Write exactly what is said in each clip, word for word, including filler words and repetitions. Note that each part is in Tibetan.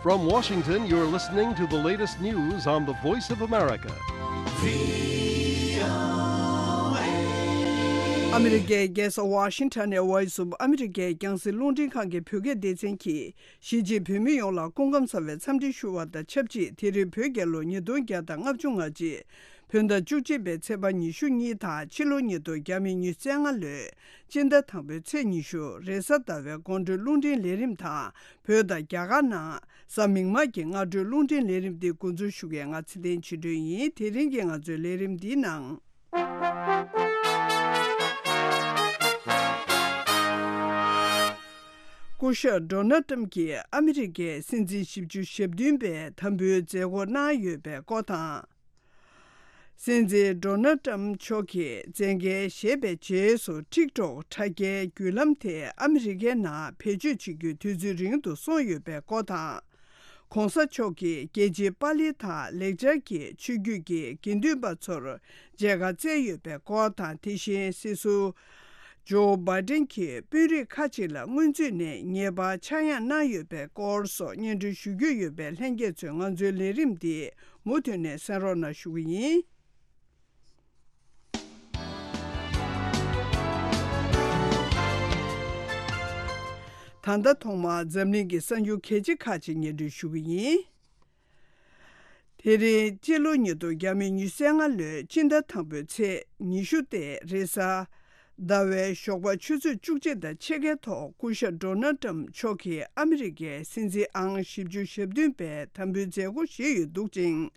From Washington, you're listening to the latest news on the Voice of America. ཨ་མི་རི་ཀའི་རྒྱལ་ས་ཝ་ཤིང་ཊོན་ནས་Voice of America རྒྱང་སྲིང་རླུང་འཕྲིན་ཁང་གི་བོད་སྐད་སྡེ་ཚན་གྱིས། གཞིས་བྱེས་བོད་མི་ཡོངས་ལ་སྐུ་ཁམས་བཟང་བའི་འཚམས་འདྲི་ཞུ་བ་དང་ཆབས་ཅིག་དེ་རིང་བོད་རྒྱལ་ལོ་ཉིས་སྟོང་བརྒྱ་དང་ལྔ་བཅུ་ང་གཅིག་བོད་ཟླ་བཅུ་གཅིག་པའི་ཚེས་པ་ཉི་ཤུ་གཉིས་དང་ཕྱི་ལོ་ཉིས་སྟོང་ཉི་ཤུ་རྩ་ལྔ་ལོའི་སྤྱི་ཟླ་དང་པོའི་ཚེས་ཉི་ཤུ་རེས་གཟའ་ཟླ་བའི་དགོང་དྲོའི་རླུང་འཕྲིན་ལས་རིམ་དང་བོད་དང་རྒྱ་གར་ནང་གཟའ་མིག་དམར་གྱི་སྔ་དྲོའི་རླུང་འཕྲིན་ལས་རིམ་འདི་འགོ་འཛུགས་ཞུ་མཁན་ང་ཚེ་བརྟན་ཆོས་སྒྲོན་ཡིན། དེ་རིང་གི་ང་ཚོའི་ལས་རིམ་འདིའི་ནང་། སྐུ་ཞབས་ཌོ་ནལ་ཊམ་གྱིས་ཨ་མི་རི་ཀའི་སྲིད་འཛིན་བཞི་བཅུ་ཞེ་བདུན་པའི་དམ་འབུལ་མཛད་སྒོ་གནང་ཡོད་པའི་སྐོར་དང་། སྲིད་འཛིན་ཌོ་ནལ་ཊམ་མཆོག་གིས་མཛད་འགན་བཞེས་པའི་རྗེས་སུ་ཊིག་ཊོག་དྲ་རྒྱའི་བརྒྱུད་ལམ་དེ་ཨ་མི་རི་ཀའི་ནང་བེད་སྤྱོད་བྱེད་རྒྱུ་དུས་ཚོད་རིང་དུ་སོང་ཡོད་པའི་སྐོར་དང་། ྋགོང་ས་མཆོག་གིས་རྒྱལ་སྤྱིའི་པཱ་ལི་དང་ལེགས་སྦྱར་གྱི་ཆོས་བརྒྱུད་ཀྱི་དགེ་འདུན་པ་ཚོར་མཇལ་ཁ་བསྩལ་ཡོད་པའི་སྐོར་དང་། དེ་བཞིན་སྲིད་ཟུར་ཇོ་བྷའི་ཌེན་གྱིས་དཔོན་རིགས་ཁག་ཅིག་ལ་སྔོན་ཚུད་ནས་ཉེས་པ་ཆག་ཡང་གནང་ཡོད་པའི་སྐོར་སོགས་སྙན་སྒྲོན་ཞུ་རྒྱུ་ཡོད་པས། ལྷན་རྒྱས་ཚོས་ང་ཚོའི་ལས་རིམ་འདི་མུ་མཐུད་ནས་གསན་རོགས་གནང་ཞུ་གི་ཡིན། ད་ལྟ་ཐོག་མར་འཛམ་གླིང་གི་གསར་འགྱུར་གལ་ཆེ་ཁག་ཅིག་སྙན་སྒྲོན་ཞུ་གི་ཡིན། དེ་རིང་སྤྱི་ལོ་ཉིས་སྟོང་ཉི་ཤུ་རྩ་ལྔ་ལོའི་སྤྱི་ཟླ་དང་པོའི་ཚེས་ཉི་ཤུ་སྟེ་རེས་གཟའ་ཟླ་བའི་ཞོགས་པ་ཆུ་ཚོད་བཅུ་གཅིག་དང་ཕྱེད་ཀའི་ཐོག་སྐུ་ཞབས་ཌོ་ནལ་ཊམ་མཆོག་གིས་ཨ་མི་རི་ཀའི་སྲིད་འཛིན་ཨང་བཞི་བཅུ་ཞེ་བདུན་པའི་དམ་འབུལ་མཛད་སྒོ་ཞིག་ཡོད་འདུག་ཅིང་།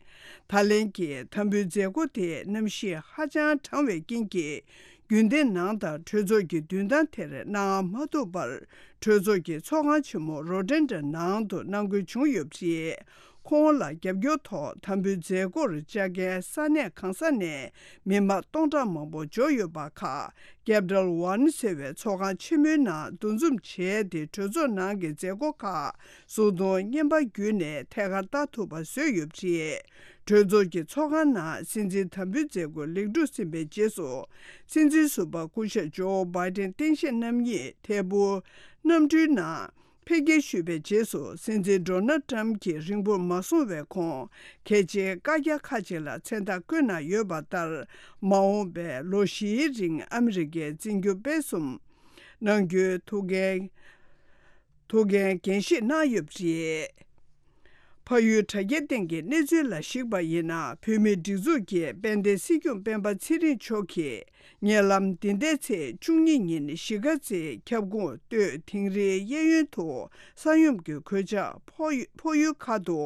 ད་ལན་གྱི་དམ་འབུལ་མཛད་སྒོ་དེ་གནམ་གཤིས་ཧ་ཅང་གྲང་བའི་རྐྱེན་གྱིས། རྒྱུན་ལྡན་ནང་དང་གྲོས་ཚོགས་ཀྱི་མདུན་ཐང་དེར་གནང་མ་ཐུབ་པར། གྲོས་ཚོགས་ཀྱི་ཚོགས་ཁང་ཆེན་མོ་རོ་ཏན་ཌ་ནང་དུ་གནང་དགོས་བྱུང་ཡོད་པ་རེད། ཁོང་ལ་རྒྱབ་སྐྱོར་ཐོག་དམ་འབུལ་མཛད་སྒོར་བཅར་མཁན་ས་གནས་གང་ས་ནས་མི་མང་སྟོང་ཕྲག་མང་པོ་འབྱོར་ཡོད་པ་ཁག་Capital One ཟེར་བའི་ཚོགས་ཁང་ཆེན་མོའི་ནང་འདུ་འཛོམས་བྱས་ཏེ། གྲོས་ཚོགས་ནང་གི་མཛད་སྒོ་ཁག་གཟུགས་མཐོང་བརྙན་པར་བརྒྱུད་ནས་ཐད་ཀར་ལྟ་ཐུབ་པ་བཟོས་ཡོད་པ་རེད། གྲོས་ཚོགས་ཀྱི་ཚོགས་ཁང་ནང་སྲིད་འཛིན་དམ་འབུལ་མཛད་སྒོ་ལེགས་གྲུབ་ཟིན་པའི་རྗེས་སུ། སྲིད་འཛིན་ཟུར་པ་སྐུ་ཞབས་ཇོ་བྷའི་ཏན་སྟངས་དཔྱལ་རྣམ་གཉིས་ཐད་འཕུར་གནམ་གྲུའི་ནང་ཕེབས་སྐྱེལ་ཞུས་པའི་རྗེས་སུ། སྲིད་འཛིན་ཌོ་ནལ་ཊམ་གྱིས་རིང་པོར་མ་སོང་བའི་གོང་། གལ་ཆེའི་བཀའ་རྒྱ་ཁག་ཅིག་ལ་མཚན་རྟགས་བཀོད་གནང་ཡོད་པ་ལྟར། མ་འོངས་པའི་ལོ་བཞིའི་རིང་ཨ་མི་རི་ཀའི་འཛིན་སྐྱོང་སྤེལ་གསུམ་གནང་རྒྱུའི་ཐུགས་འགན། ཐུགས་འགན་འགན་བཞེས་གནང་ཡོད་པ་རེད། ཕ་ཡུལ་དྲ་རྒྱའི་སྟེང་གི་གནས་ཚུལ་ལ་གཞིགས་པ་ཡིན་ན། བོད་མིའི་སྒྲིག་འཛུགས་ཀྱིས་དཔལ་ལྡན་སྲིད་སྐྱོང་སྤེན་པ་ཚེ་རིང་མཆོག་གིས་ཉེ་ལམ་འདི་ཟླའི་ཚེས་བཅུ་གཉིས་ཉིན་གཞིས་ཀ་རྩེའི་ཁྱབ་ཁོངས་སྟོད་དིང་རིའི་གཡས་གཡོན་དུ་ས་ཡོམ་གྱི་གོད་ཆག་ཕོག་ཕོག་ཡུལ་ཁག་ཏུ་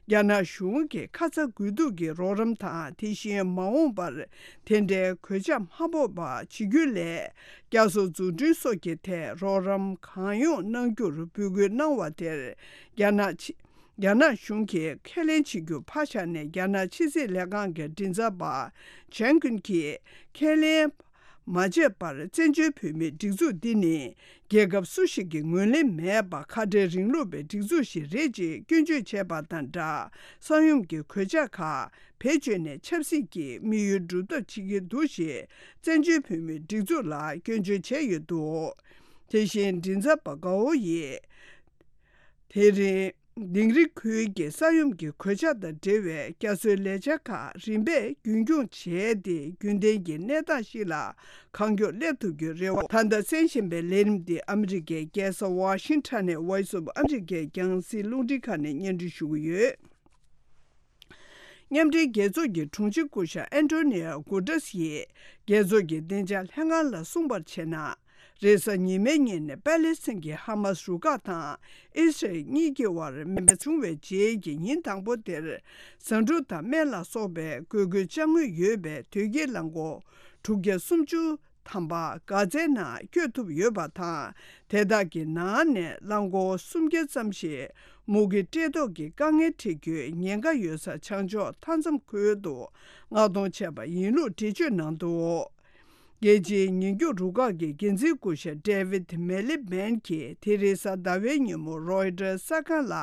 རྒྱ་ནག་གཞུང་གིས་ཁ་ཚ་དགོས་གཏུག་གི་རོགས་རམ་དང་། དེ་བཞིན་མ་འོངས་པར་དེ་འདྲའི་གོད་ཆག་མ་ཕོག་པ་བྱེད་རྒྱུ་སླད། བསྐྱར་གསོ་འཛུགས་སྐྲུན་སོགས་ཀྱི་ཐད་རོགས་རམ་གང་ཡོང་གནང་རྒྱུར་འབོད་སྐུལ་གནང་བ་དེར། རྒྱ་ནག་ཕྱི་རྒྱ་ནག་གཞུང་གིས་ཁས་ལེན་བྱེད་རྒྱུ་ཕར་བཞག་ནས། རྒྱ་ནག་ཕྱི་སྲིད་ལས་ཁང་གི་མགྲིན་ཚབ་པ་ཇན་ཀུན་གྱིས་ཁས་ལེན་མ་བྱས་པར། བཙན་བྱོལ་བོད་མིའི་སྒྲིག་འཛུགས་འདི་ནི་རྒྱལ་ཁབ་སུ་ཞིག་གིས་ངོས་ལེན་མེད་པ། ཁ་བྲལ་རིང་ལུགས་པའི་སྒྲིག་འཛུགས་ཤིག་རེད་ཅེས་སྐྱོན་བརྗོད་བྱས་པ་དང་སྦྲགས། ས་ཡོམ་གྱི་གོད་ཆག་ཁག་བེད་སྤྱོད་ནས་ཆབ་སྲིད་ཀྱི་དམིགས་ཡུལ་སྒྲུབ་ཐབས་བྱེད་ཀྱི་འདུག་ཞེས་བཙན་བྱོལ་བོད་མིའི་སྒྲིག་འཛུགས་ལ་སྐྱོན་བརྗོད་བྱས་ཡོད་འདུག་དེ་བཞིན་མགྲིན་ཚབ་པ་གའོ་ཡིས། དེ་རིང་དིང་རི་ཁུལ་གྱི་ས་ཡོམ་གྱི་གོད་ཆག་དང་འབྲེལ་བའི་བསྐྱར་གསོའི་ལས་འཆར་ཁག་རིམ་པས་རྒྱུན་འཁྱོངས་བྱས་ཏེ། རྒྱུན་ལྡན་གྱི་གནས་སྟངས་ཤིག་ལ་གང་མགྱོགས་སླེབས་ཐུབ་རྒྱུའི་རེ་བ། ད་ལྟ་གསན་བཞིན་པའི་ལས་རིམ་འདི་ཨ་མི་རི་ཀའི་རྒྱལ་ས་ཝ་ཤིང་ཊོན་ནས་Voice of America རྒྱང་སྲིང་རླུང་འཕྲིན་ཁང་ནས་སྙན་སྒྲོན་ཞུ་གི་ཡོད། མཉམ་འབྲེལ་རྒྱལ་ཚོགས་ཀྱི་དྲུང་ཆེ་སྐུ་ཞབས་ཨན་ཏོ་ནི་ཡོ་གུ་ཏྲེས་ཡིས་རྒྱལ་ཚོགས་ཀྱི་བདེ་འཇགས་ལྷན་ཁང་ལ་གསུངས་པར་བྱས་ན། རེས་གཟའ་ཉི་མའི་ཉིན་པེ་ལེ་སི་ཐན་གྱི་ཧ་མ་སི་རུ་ཁག་དང་ཨི་སི་རལ་གཉིས་ཀྱི་དབར་མེ་འབར་བྱུང་བའི་རྗེས་ཀྱི་ཉིན་དང་པོ་དེར། ཟ་འབྲུ་དང་སྨན་ལ་སོགས་པའི་དགོས་མཁོའི་ཅ་དངོས་ཡོད་པའི་དོས་སྐྱེལ་རླངས་འཁོར་དྲུག་བརྒྱ་སུམ་ཅུ་ཐམ་པ་གྷ་ཛའི་ནང་བསྐྱོད་ཐུབ་ཡོད་པ་དང་། དེ་དག་གི་ནང་ནས་རླངས་འཁོར་སུམ་བརྒྱ་ཙམ་ཞིག་མུ་གེ་བཀྲེས་ལྟོགས་ཀྱི་དཀའ་ངལ་འཕྲད་རྒྱུའི་ཉེན་ཁ་ཡོད་ས་བྱང་ཕྱོགས་མཐའ་མཚམས་ཁུལ་དུ་མངགས་གཏོང་བྱས་པ་ཡིན་ལུགས་འགྲེལ་བརྗོད་གནང་འདུག་རྒྱལ་སྤྱིའི་ཉེན་སྐྱོབ་རུ་ཁག་གི་འགན་འཛིན་སྐུ་ཞབས་ཌེ་ཝིད་མེ་ལི་བན་གྱིས་དེ་རིང་གཟའ་ཟླ་བའི་ཉིན་མོ་རོའི་ཊར་གསར་ཁང་ལ་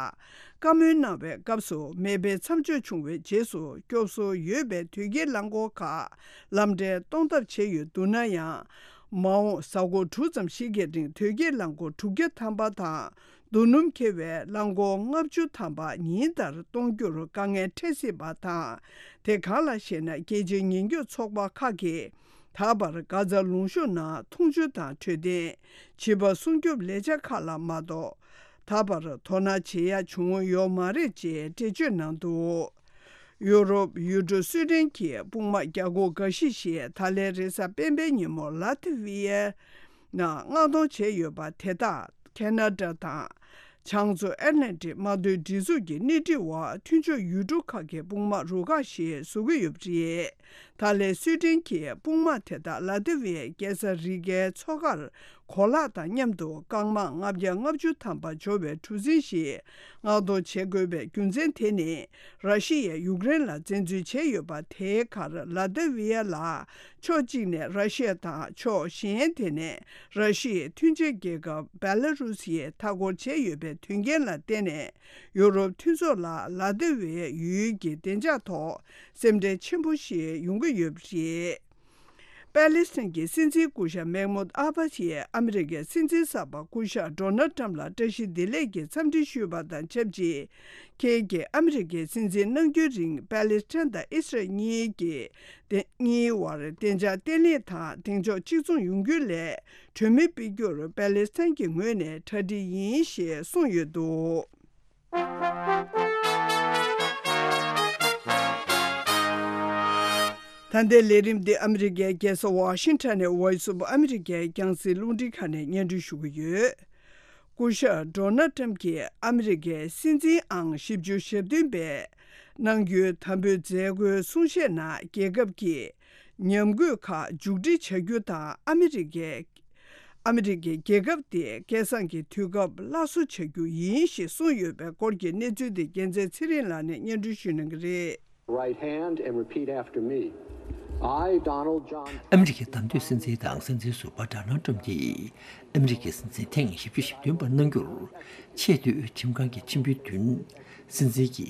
བཀའ་མོལ་གནང་བའི་སྐབས་སུ། མེ་འཕེན་མཚམས་འཇོག་བྱུང་བའི་རྗེས་སུ་སྐྱོབ་གསོ་ཡོད་པའི་དོས་སྐྱེལ་རླངས་འཁོར་ཁག་ལམ་འདྲེན་གཏོང་ཐབས་བྱས་ཡོད་འདུག་ན་ཡང་། མ་འོངས་གཟའ་འཁོར་དྲུག་ཙམ་ཞིག་གི་རིང་དོས་སྐྱེལ་རླངས་འཁོར་དྲུག་བརྒྱ་ཐམ་པ་དང་། རྡོ་སྣུམ་འཁྱེར་བའི་རླངས་འཁོར་ལྔ་བཅུ་ཐམ་པ་ཉིན་ལྟར་གཏོང་རྒྱུར་དཀའ་ངལ་འཕྲད་སྲིད་པ་དང་། དེ་གང་ལགས་ཤེ་ན། རྒྱལ་སྤྱིའི་ཉེན་སྐྱོབ་ཚོགས་པ་ཁག་གིས་ད་བར་གྷ་ཛ་ལུང་གཤོང་ནང་འཐུང་ཆུ་དང་འཕྲོད་བསྟེན། བྱིས་པ་སྲུང་སྐྱོབ་ལས་འཆར་ཁག་ལ་མ་གཏོགས། ད་བར་དོ་སྣང་བྱེད་ཡ་བྱུང་ཡོད་མ་རེད་ཅེས་འགྲེལ་བརྗོད་གནང་འདུག་ཡུ་རོབ་ཡུལ་གྲུ་སུའེ་ཏེན་གྱི་དཔུང་དམག་རྒྱ་སྒོར་འགའ་ཤས་ཤིག་ད་ལན་རེས་གཟའ་སྤེན་པའི་ཉིན་མོ་ལ་ཐི་ཝི་ཡའི་ནང་མངགས་གཏོང་བྱས་ཡོད་པ་དེ་དག་ཁེ་ན་ཌ་དང་། བྱང་མཚོ་ཨེཊ་ལན་ཊིག་དམག་དོན་སྒྲིག་འཛུགས་ཀྱི་སྣེ་ཁྲིད་འོག་མཐུན་ཕྱོགས་ཡུལ་གྲུ་ཁག་གི་དཔུང་དམག་རུ་ཁག་ཞིག་བཟོ་གི་ཡོད་པ་རེད། ད་ལན་སུའེ་ཏེན་གྱི་དཔུང་དམག་དེ་དག་ལ་ཐི་ཝི་ཡའི་རྒྱལ་ས་རི་ཀའི་མཚོ་ཁར་གོ་ལག་དང་མཉམ་དུ་རྐང་དམག་ལྔ་བརྒྱ་ལྔ་བཅུ་ཐམ་པ་འབྱོར་བའི་གྲུ་གཟིངས་ཤིག་མངགས་གཏོང་བྱེད་དགོས་པའི་རྒྱུ་མཚན་དེ་ནི། ར་ཤི་ཡས་ཡུཀ་རེན་ལ་བཙན་འཛུལ་བྱས་ཡོད་པ་དེའི་ཁར་ལ་ཐི་ཝི་ཡ་ལ་ཕྱོགས་གཅིག་ནས་ར་ཤི་ཡ་དང་ཕྱོགས་གཞན་དེ་ནས་ར་ཤི་ཡའི་མཐུན་ཆེན་རྒྱལ་ཁབ་བེ་ལ་རུ་སི་ཡས་མཐའ་འཁོར་བྱས་ཡོད་པའི་དོན་རྐྱེན་ལ་བརྟེན་ནས། ཡུ་རོབ་མཐུན་ཚོགས་ལ་ལ་ཏི་ཝེ་ཡུལ་གྱི་བདེ་འཇགས་ཐོག་སེམས་ཁྲལ་ཆེན་པོ་ཞིག་ཡོང་གི་ཡོད་པ་རེད། པ་ལི་སི་ཐན་གྱི་སྲིད་འཛིན་སྐུ་ཞབས་མེག་མུད་ཨ་བྷ་སི་ཡིས་ཨ་མི་རི་ཀའི་སྲིད་འཛིན་གསར་པ་སྐུ་ཞབས་ཌོ་ནལ་ཏྲམ་ལ་བཀྲ་ཤིས་བདེ་ལེགས་ཀྱི་འཚམས་འདྲི་ཞུས་པ་དང་ཆབས་ཅིག་ཁྱེད་ཀྱིས་ཨ་མི་རི་ཀའི་སྲིད་འཛིན་གནང་རྒྱུའི་རིང་པ་ལི་སི་ཐན་དང་ཨི་སི་རལ་གཉིས་ཀྱི་གཉིས་བར་བདེ་འཇགས་བརྟན་ལྷིང་དང་གདེང་འཇོག་གཅིག་མཚུངས་ཡོང་རྒྱུ་ལས་གྲོས་མོལ་སྤེལ་རྒྱུར་པ་ལི་སི་ཐན་གྱི་ངོས་ནས་གྲ་སྒྲིག་ཡིན་ཞེས་གསུངས་ཡོད་འདུག་ད་ལྟའི་ལས་རིམ་འདི་ཨ་མི་རི་ཀའི་རྒྱལ་ས་ཝ་ཤིང་ཊོན་ནས་Voice of America རྒྱང་སྲིང་རླུང་འཕྲིན་ཁང་ནས་སྙན་སྒྲོན་ཞུ་གི་ཡོད། སྐུ་ཞབས་ཌོ་ནལ་ཏྲམ་གྱིས་ཨ་མི་རི་ཀའི་སྲིད་འཛིན་ཨང་བཞི་བཅུ་ཞེ་བདུན་པའི་གནང་རྒྱུའི་དམ་འབུལ་མཛད་སྒོའི་གསུང་བཤད་ནང་རྒྱལ་ཁབ་ཀྱི་ཉམས་རྒུད་ཁག་མཇུག་སྒྲིལ་བྱ་རྒྱུ་དང་ཨ་མི་རི་ཀའི་ཨ་མི་རི་ཀའི་རྒྱལ་ཁབ་དེ་སྐལ་བཟང་གི་དུས་སྐབས་སླར་གསོ་བྱ་རྒྱུ་ཡིན་ཞེས་གསུངས་ཡོད་པའི་སྐོར་གྱི་གནས་ཚུལ་དེ་རྒྱལ་མཚན་ཚེ་རིང་ལགས་ནས་སྙན་སྒྲོན་ཞུ་གནང་གི་རེད། Right hand and repeat after me. I, Donald John. ཨ་མི་རི་ཀའི་བདམས་ཐོན་སྲིད་འཛིན་དང་སྲིད་འཛིན་ཟུར་པ་ཌོ་ནལ་ཏྲམ་གྱིས་ཨ་མི་རི་ཀའི་སྲིད་འཛིན་ཐེངས་བཞི་བཅུ་ཞེ་བདུན་པ་གནང་རྒྱུར་ཆེས་མཐོའི་ཁྲིམས་ཁང་གི་ཁྲིམས་དཔོན་བདུན་སྲིད་འཛིན་གྱི་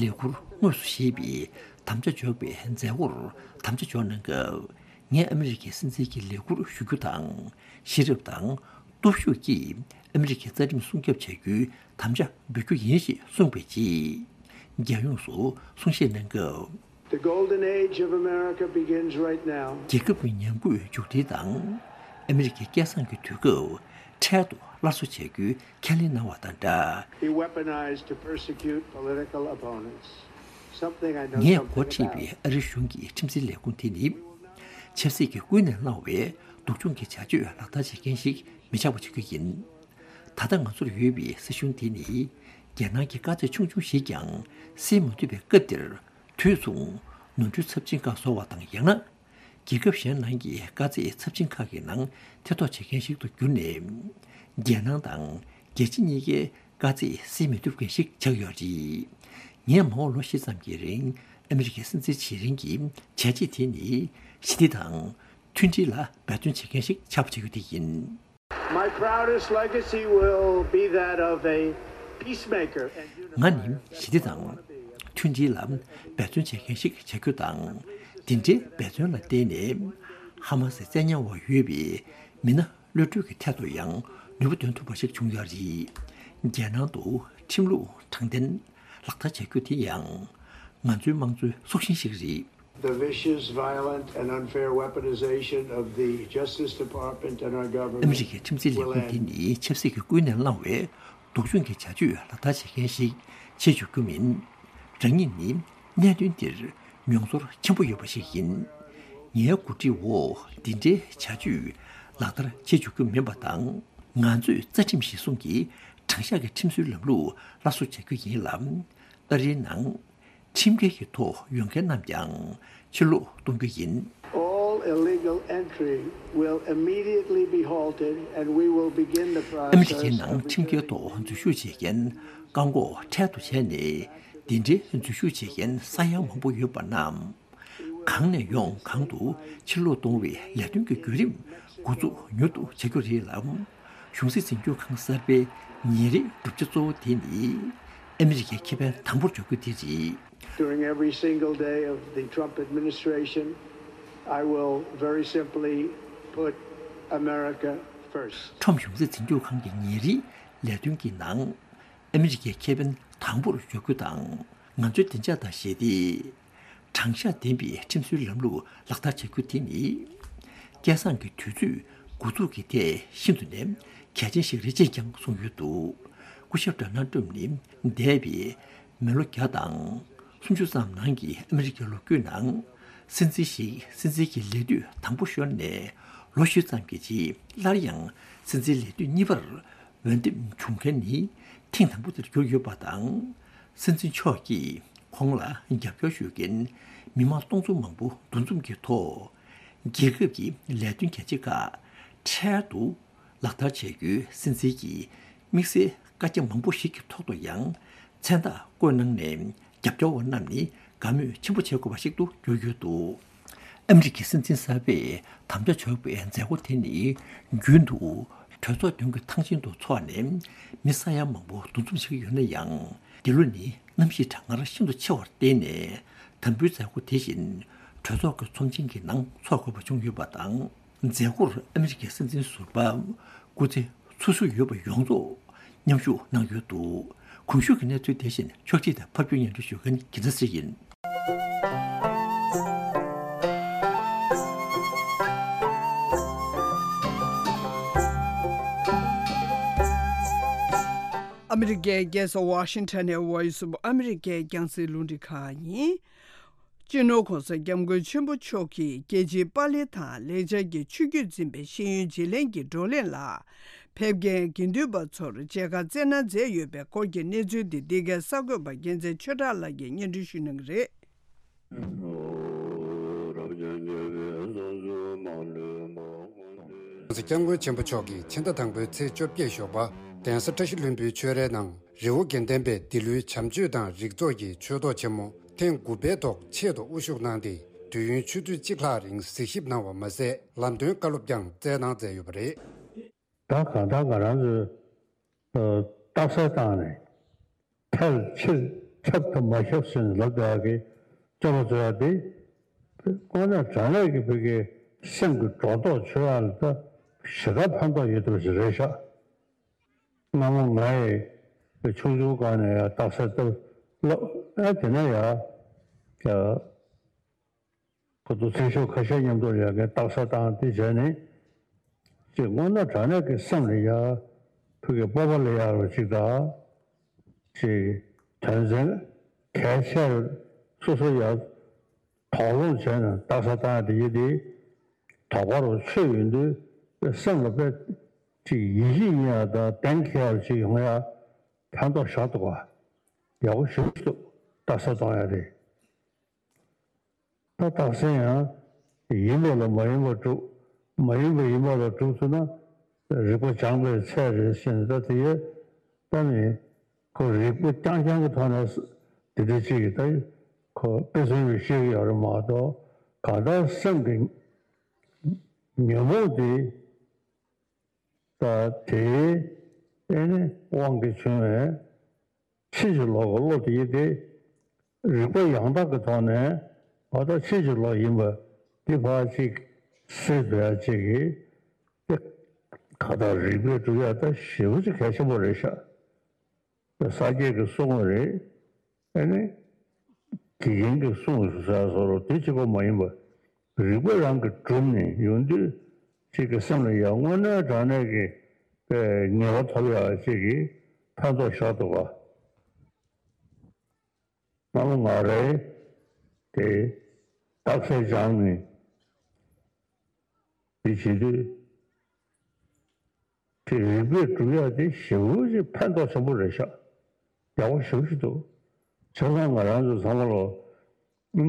ལས་ཁུར་དངོས་སུ་བཞེས་པའི་དམ་བཅའ་འཇོག་པའི་མཛད་སྒོར་དམ་བཅའ་འཇོག་གནང་སྐབས། ངས་ཨ་མི་རི་ཀའི་སྲིད་འཛིན་གྱི་ལས་ཁུར་ཞུ་རྒྱུ་དང་། ཤེས་རབ་དང་སྟོབས་ཤུགས་ཀྱིས་ཨ་མི་རི་ཀའི་རྩ་ཁྲིམས་སྲུང་སྐྱོབ་བྱ་རྒྱུའི་དམ་བཅའ་འབུལ་རྒྱུ་ཡིན་ཞེས་གསུངས་པའི་རྗེས། རྒྱལ་ཡོངས་སུ་གསུང་བཤད་གནང་སྐབས། The golden age of America begins right now. རྒྱལ་ཁབ་ཀྱི་ཉམས་རྒུད་མཇུག་སྒྲིལ་དང་། ཨ་མི་རི་ཀའི་སྐལ་བཟང་གི་དུས་སྐབས་འཕྲལ་དུ་སླར་གསོ་བྱ་རྒྱུའི་ཁས་ལེན་གནང་བ་དང་སྦྲགས། Be weaponized to persecute political opponents. Something I know ངས་འགོ་something ཁྲིད་about. པའི་ཨ་རིའི་གཞུང་གི་ཁྲིམས་འཛིན་ལས་ཁུངས་དེ་ནི། ཆབ་སྲིད་ཀྱི་ཀུན་ནས་བསླངས་པའི་སྡུག་སྦྱོང་གི་བྱ་སྤྱོད་ལག་བསྟར་བྱེད་མཁན་ཞིག་མི་ཆགས་པ་བྱེད་རྒྱུ་ཡིན། ད་ལྟ་ང་ཚོར་ཡོད་པའི་སྲིད་གཞུང་དེ་ནི། རྒྱལ་ནང་གི་དཀའ་ཚེགས་ཆུང་ཆུང་ཞིག་ཀྱང་སེལ་མ་ཐུབ་པའི་སྐབས་འདིར། དུས་མཚུངས་ནོར་འཁྲུལ་ཚབས་ཆེན་ཁག་བཟོ་བ་དང་། ཡང་ན། རྒྱལ་ཁབ་གཞན་ནང་གི་དཀའ་ཚེགས་ཚབས་ཆེན་ཁག་གི་ནང་ཐེ་གཏོགས་བྱེད་མཁན་ཞིག་ཏུ་གྱུར་ནས། རྒྱལ་ནང་དང་རྒྱལ་སྤྱི་གཉིས་ཀའི་དཀའ་ཚེགས་སེལ་མི་ཐུབ་མཁན་ཞིག་ཆགས་ཡོད་རེད། ངས་མ་འོངས་ལོ་བཞི་ཙམ་གྱི་རིང་ཨ་མི་རི་ཀའི་སྲིད་འཛིན་བྱེད་རིང་གི་བྱས་རྗེས་དེ་ནི་ཞི་བདེ་དང་མཐུན་སྒྲིལ་ལ་འབད་བརྩོན་བྱེད་མཁན་ཞིག་ཆགས་པ་བྱེད་རྒྱུ་དེ་ཡིན། My proudest legacy will be that of a peacemaker and ང་ནི་unifier. ཞི་བདེ་དང་མཐུན་སྒྲིལ་ལ་འབད་བརྩོན་བྱེད་མཁན་ཞིག་བྱ་རྒྱུ་དང་། འདི་འདྲའི་འབད་བརྩོན་ལ་བརྟེན་ནས་ཧ་མ་སི་བཙན་ཉར་འོག་ཡོད་པའི་མི་སྣ་གློད་གྲོལ་གྱི་ཐད་དུ་ཡང་ནུས་པ་འདོན་ཐུབ་པ་ཞིག་བྱུང་ཡོད་རེད། རྒྱལ་ནང་དུ་ཁྲིམས་ལུགས་དྲང་བདེན་ལག་བསྟར་བྱ་རྒྱུ་དེ་ཡང་ང་ཚོའི་དམངས་གཙོའི་སྲོག་ཤིང་ཞིག་རེད། The vicious, violent, and unfair weaponization of the Justice Department and our ཨ་མི་རི་ཀའི་ཁྲིམས་འཛིན་ལས་ཁུངས་འདི་ནི་ཆབ་སྲིད་ཀྱི་ཀུན་ནས་བསླངས་པའི་སྡུག་སྦྱོང་གི་བྱ་སྤྱོད་ལག་བསྟར་བྱེད་མཁན་ཞིག་བྱེད་བཅུག་རྒྱུ་མིན། རང་ཉིད་ནི་གནད་དོན་འདིར་མྱོང་ཚོར་ཆེན་པོ་ཡོད་པ་ཞིག་ཡིན། ངའི་འགོ་ཁྲིད་འོག་འདི་འདྲའི་བྱ་སྤྱོད་ལག་བསྟར་བྱེད་བཅུག་རྒྱུ་མིན་པ་དང་། ང་ཚོས་རྩ་ཁྲིམས་གཞིར་བཟུང་གི་དྲང་གཞག་གི་ཁྲིམས་སྲོལ་ལམ་ལུགས་སླར་གསོ་བྱ་རྒྱུ་ཡིན་ལ། ཨ་རིའི་ནང་ཁྲིམས་འགལ་གྱི་ཐོག་ཡོང་མཁན་རྣམས་ཀྱང་ཕྱིར་ལོག་གཏོང་རྒྱུ་ཡིན། All illegal entry will immediately be halted and we will begin the process of returning. ཨ་མི་རི་ཀའི་ནང་ཁྲིམས་འགལ་ཐོག་འཛུལ་ཞུགས་བྱེད་མཁན་བཀག་འགོག་འཕྲལ་དུ་བྱས་ནས། འདི་འདྲའི་འཛུལ་ཞུགས་བྱེད་མཁན་ས་ཡ་མང་པོ་ཡོད་པ་རྣམས། གང་ནས་ཡོང་གང་དུ་ཕྱིར་ལོག་གཏོང་བའི་ལས་དོན་གྱི་བརྒྱུད་རིམ་འགོ་འཛུགས་མྱུར་དུ་བྱ་རྒྱུ་རེད་ལ། གཞུང་སྲིད་འཛིན་སྐྱོང་ཁང་གསར་པའི་ཉིན་རེའི་བསྒྲུབ་བྱ་གཙོ་བོ་དེ་ནི་ཨ་མི་རི་ཀའི་ཁེ་ཕན་དམ་པོར་འཇོག་རྒྱུ་དེ་རེད། During every single day of the Trump administration, I will very simply put America First. ཁྲོམ་གཞུང་སྒྲིག་འཛིན་ཁང་གི་ཉིན་རེའི་ལས་དོན་གྱི་ནང་ཨ་མི་རི་ཀའི་ཁེ་ཕན་དང་པོར་འཇོག་རྒྱུ་དང་། ང་ཚོའི་བདེ་འཇགས་དང་ཞི་བདེ། དྲང་གཞག་ལྡན་པའི་ཁྲིམས་བཟོའི་ལམ་ལུགས་ལག་བསྟར་བྱ་རྒྱུ་དེ་ནི། སྐལ་བཟང་གི་དུས་ཚོད་འགོ་འཛུགས་ཀྱི་ཐད་ཤིན་ཏུ་ནས་གལ་ཆེན་ཞིག་རེད་ཅེས་ཀྱང་གསུངས་ཡོད་འདུག་སྐུ་ཞབས་ཌོ་ནལ་ཏྲམ་ནི་འདས་པའི་མི་ལོ་བརྒྱ་དང་སུམ་ཅུ་ཙམ་ནང་གི་ཨ་མི་རི་ཀའི་ལོ་རྒྱུས་ནང་། སྲིད་འཛིན་ཞིག་སྲིད་འཛིན་གྱི་ལས་དུས་དང་པོ་ཤོར་ནས་ལོ་བཞི་ཙམ་གྱི་རྗེས་སླར་ཡང་སྲིད་འཛིན་ལས་དུས་གཉིས་པར་འོས་འདེམས་བྱུང་མཁན་ནི་ཐེངས་དང་པོ་དེར་གྱུར་ཡོད་པ་དང་། སྲིད་འཛིན་མཆོག་གིས་ཁོང་ལ་རྒྱབ་སྐྱོར་ཞུ་མཁན་མི་མང་སྟོང་ཚོ་མང་པོ་འདུ་འཛོམས་ཀྱི་ཐོག་རྒྱལ་ཁབ་ཀྱི་ལས་དོན་གལ་ཆེ་ཁག་འཕྲལ་དུ་ལག་བསྟར་བྱ་རྒྱུའི་སྲིད་འཛིན་གྱི་དམིགས་བསལ་བཀའ་རྒྱ་མང་པོ་ཞིག་གི་ཐོག་ཏུ་ཡང་མཚན་རྟགས་བཀོད་གནང་ནས། རྒྱབ་སྐྱོར་བ་རྣམས་ནི་དགའ་མོས་ཆེན་པོ་བྱེད་དགོས་པ་ཞིག་ཏུ་གྱུར་ཡོད་འདུག་ཨ་མི་རི་ཀའི་སྲིད་འཛིན་གསར་པས་དམ་བཅའ་འཇོག་པའི་མཛད་སྒོ་དེ་ནི་རྒྱུན་དུ་གྲོས་ཚོགས་མདུན་གྱི་ཐང་ཆེན་དུ་འཚོགས་ནས་མི་ས་ཡ་མང་པོ་འདུ་འཛོམས་བྱེད་ཀྱི་ཡོད་ན་ཡང་། འདི་ལོ་ནི་གནམ་གཤིས་གྲང་ངར་ཤིན་ཏུ་ཆེ་བར་བརྟེན་ནས། དམ་འབུལ་མཛད་སྒོ་དེ་བཞིན་གྲོས་ཚོགས་ཀྱི་ཚོམས་ཆེན་གྱི་ནང་འཚོགས་དགོས་པ་བྱུང་ཡོད་པ་དང་། མཛད་སྒོར་ཨ་མི་རི་ཀའི་སྲིད་འཛིན་ཟུར་པ་སྐུ་ཚེ་སོ་སོ་ཡོད་པ་ཡོངས་རྫོགས་མཉམ་ཞུགས་གནང་ཡོད་འདུག་གོང་ཞུས་ཀྱི་གནས་ཚུལ་དེ་བཞིན་ཕྱོགས་སྒྲིག་དང་ཕབ་སྒྱུར་སྙན་སྒྲོན་ཞུ་མཁན་དགེ་ལྡན་ཚེ་རིང་ཡིན། ཨ་མི་རི་ཀའི་རྒྱལ་ས་ཝ་ཤིང་ཊོན་ནས་Voice of America རྒྱང་སྲིང་རླུང་འཕྲིན་ཁང་ཡིན། སྤྱི་ནོར་༸གོང་ས་༸སྐྱབས་མགོན་ཆེན་པོ་མཆོག་གིས་རྒྱལ་སྤྱིའི་པར་ལེན་དང་ལེགས་སྦྱར་གྱི་ཆུ་རྒྱུད་འཛིན་པའི་ཤེས་ཡོན་བརྗེ་ལེན་གྱི་བགྲོ་གླེང་ལ་ཕེབས་མཁན་དགེ་འདུན་པ་ཚོར་མཇལ་ཁ་སྩལ་གནང་མཛད་ཡོད་པའི་སྐོར་གྱི་གནས་ཚུལ་འདི་འདི་གའི་གསར་འགོད་པ་རྒྱལ་མཚན་ཆོས་གྲགས་ལགས་ཀྱིས་སྙན་སྒྲོན་ཞུ་གནང་གི་རེད།༸གོང་ས་༸སྐྱབས་མགོན་ཆེན་པོ་མཆོག་གིས་ཕྱི་ཟླ་དང་པོའི་ཚེས་བཅོ་བརྒྱད་ཞོགས་པ་གདན་ས་བཀྲ་ཤིས་ལྷུན་པོའི་ཆོས་རའི་ནང་རི་བོ་དགེ་ལྡན་པའི་འདི་ལོའི་བྱམས་ཆོས་དང་རིག་ཚོགས་ཀྱི་ཆོས་ཐོག་ཆེན་མོ་ཐེངས་དགུ་པའི་ཐོག་ཆེད་དུ་དབུ་བཞུགས་གནང་སྟེ། དུས་ཡུན་ཆུ་ཚོད་གཅིག་ལྷག་རིང་གཟིགས་ཞིབ་གནང་བ་མ་ཟད། ལམ་སྟོན་བཀའ་སློབ་ཀྱང་སྩལ་གནང་མཛད་ཡོད་པ་རེད། ད་གང་ལྟར་ང་རང་ཚོས་རྟགས་གསལ་བཏང་ནས་ཕལ་ཆེར་ཁྱབ་ཐུབ་མ་ཁྱབ་ཟེར་ནས་ལབ་བསྡད་ཡག་གི་སྤྱོད་པ་བཟོ་ཡག་དེ། དངོས་གནས་དྲང་གནས་ཀྱི་བོད་ཀྱི་སེམས་ཀྱི་སྒྲོ་འདོགས་ཆོད་ཡག་ལ་ད་ཞེ་དྲག་ཕན་ཐོགས་ཡོད་ཐུབ་ཞིག་རེད་ཤག་སྔ་མོ་ང་ཡི་ཆུང་ཆུང་སྒང་ནས་ཡང་རྟགས་གསལ་ལྟ་ལབ་ཨ་དེ་ནས་ཡང་ཀྱ་ཁོ་ཚོ་ཚེ་ཤོག་ཁ་ཤས་མཉམ་དུ་ཡང་གི་རྟགས་གསལ་བཏང་དེ་བྱས་ནས་ཅིག་དངོས་གནས་དྲང་གནས་ཀྱི་སེམས་ལ་ཡ་ཕུགས་ཀྱི་སྤོབས་པ་ལ་ཡ་རུ་ཅིག་དང་ཅིག་དོན་ཚན་གལ་ཆེར་སོ་སོ་ཡ་དོགས་སློང་བྱས་ནས་རྟགས་གསལ་བཏང་དེ་ཡི་དེ་དོགས་པ་རུ་ཆོད་ཡོང་དུས་སེམས་ལ་དཔེ་ཅིག་ཡིད་ཆེས་ཡིན་ཡ་དང་གཏན་འཁེལ་ཡ་ཅིག་ཡོང་ཡ་ཕན་ཐོགས་ཞག་ཏུ་བ་ཡག་པོ་ཞིག་འདུག་རྟགས་གསལ་གཏོང་ཡ་དེ། ད་རྟགས་གསལ་ཡང་ཡིན་པ་ལ་མ་ཡིན་པ་སྒྲུབ། མ་ཡིན་པ་ཡིན་པ་ལ་སྒྲུབ་ཐུབ་ན་རིག་པ་སྦྱངས་པའི་ཚད་རེད་ཟེར་ནས་ད་དེ་ཡས་ད་ནི་ཁོ་རིག་པ་རྐྱང་རྐྱང་གི་ཐོག་ནས་དེ་འདྲ་ཅིག་གིས་ད་ཁོ་དཔེ་མཚོན་ཞིག་བཤད་ཀྱི་ཡོད་རེད་མ་གཏོགས་གང་ལྟར་སེམས་ཀྱི་ཉོན་མོངས་དེ་ད་དེའི་ཨེ་ནི་དབང་གིས་བྱུང་བའི་ཕྱིན་ཅི་ལོག་གི་བློ་དེ་ཡིན་ཏེ། རིག་པ་ཡང་དག་གི་ཐོག་ནས་ང་ད་ཕྱིན་ཅི་ལོག་ཡིན་པ་འདི་ཕར་ཅིག་སེལ་ཐུབ་ཡ་ཅིག་གི་དེ་ག་ད་རིག་པས་སྒྲུབ་ཡ་ད་ཞེ་པོ་ཅིག་གལ་ཆེན་པོ་རེད་ཤག་ས་སྐྱའི་གི་གསུང་བ་རེད། ཨ་ནི། དགེ་རྒན་གྱི་གསུང་ཟེར་བཟོ་འདྲ་དེ་གཅིག་པོ་མ་ཡིན་པ། རིག་པ་རང་གིས་གྲུབ་ནས་ཡོང་དུས་གཅིག་གི་སེམས་ལ་ཡང་དངོས་གནས་དྲང་གནས་ཀྱི་ངེས་པ་ཐོབ་ཡག་ཅིག་གི་ཕན་ཐོགས་ཤར་འདུག་ག་སྔ་མོ་ང་རའི་དེ་རྟགས་གསལ་སྦྱངས་ནས་དེ་བྱེད་དུས། དེ་རིག་པས་སྒྲུབ་ཡག་དེ་ཞེ་པོ་ཅིག་ཕན་ཐོགས་ཆེན་པོ་རེད་ཤག་ཡག་པོ་ཞེ་པོ་ཅིག་འདུག་བྱས་ཙང་ང་རང་ཚོ་ཚང་མ་ལོ་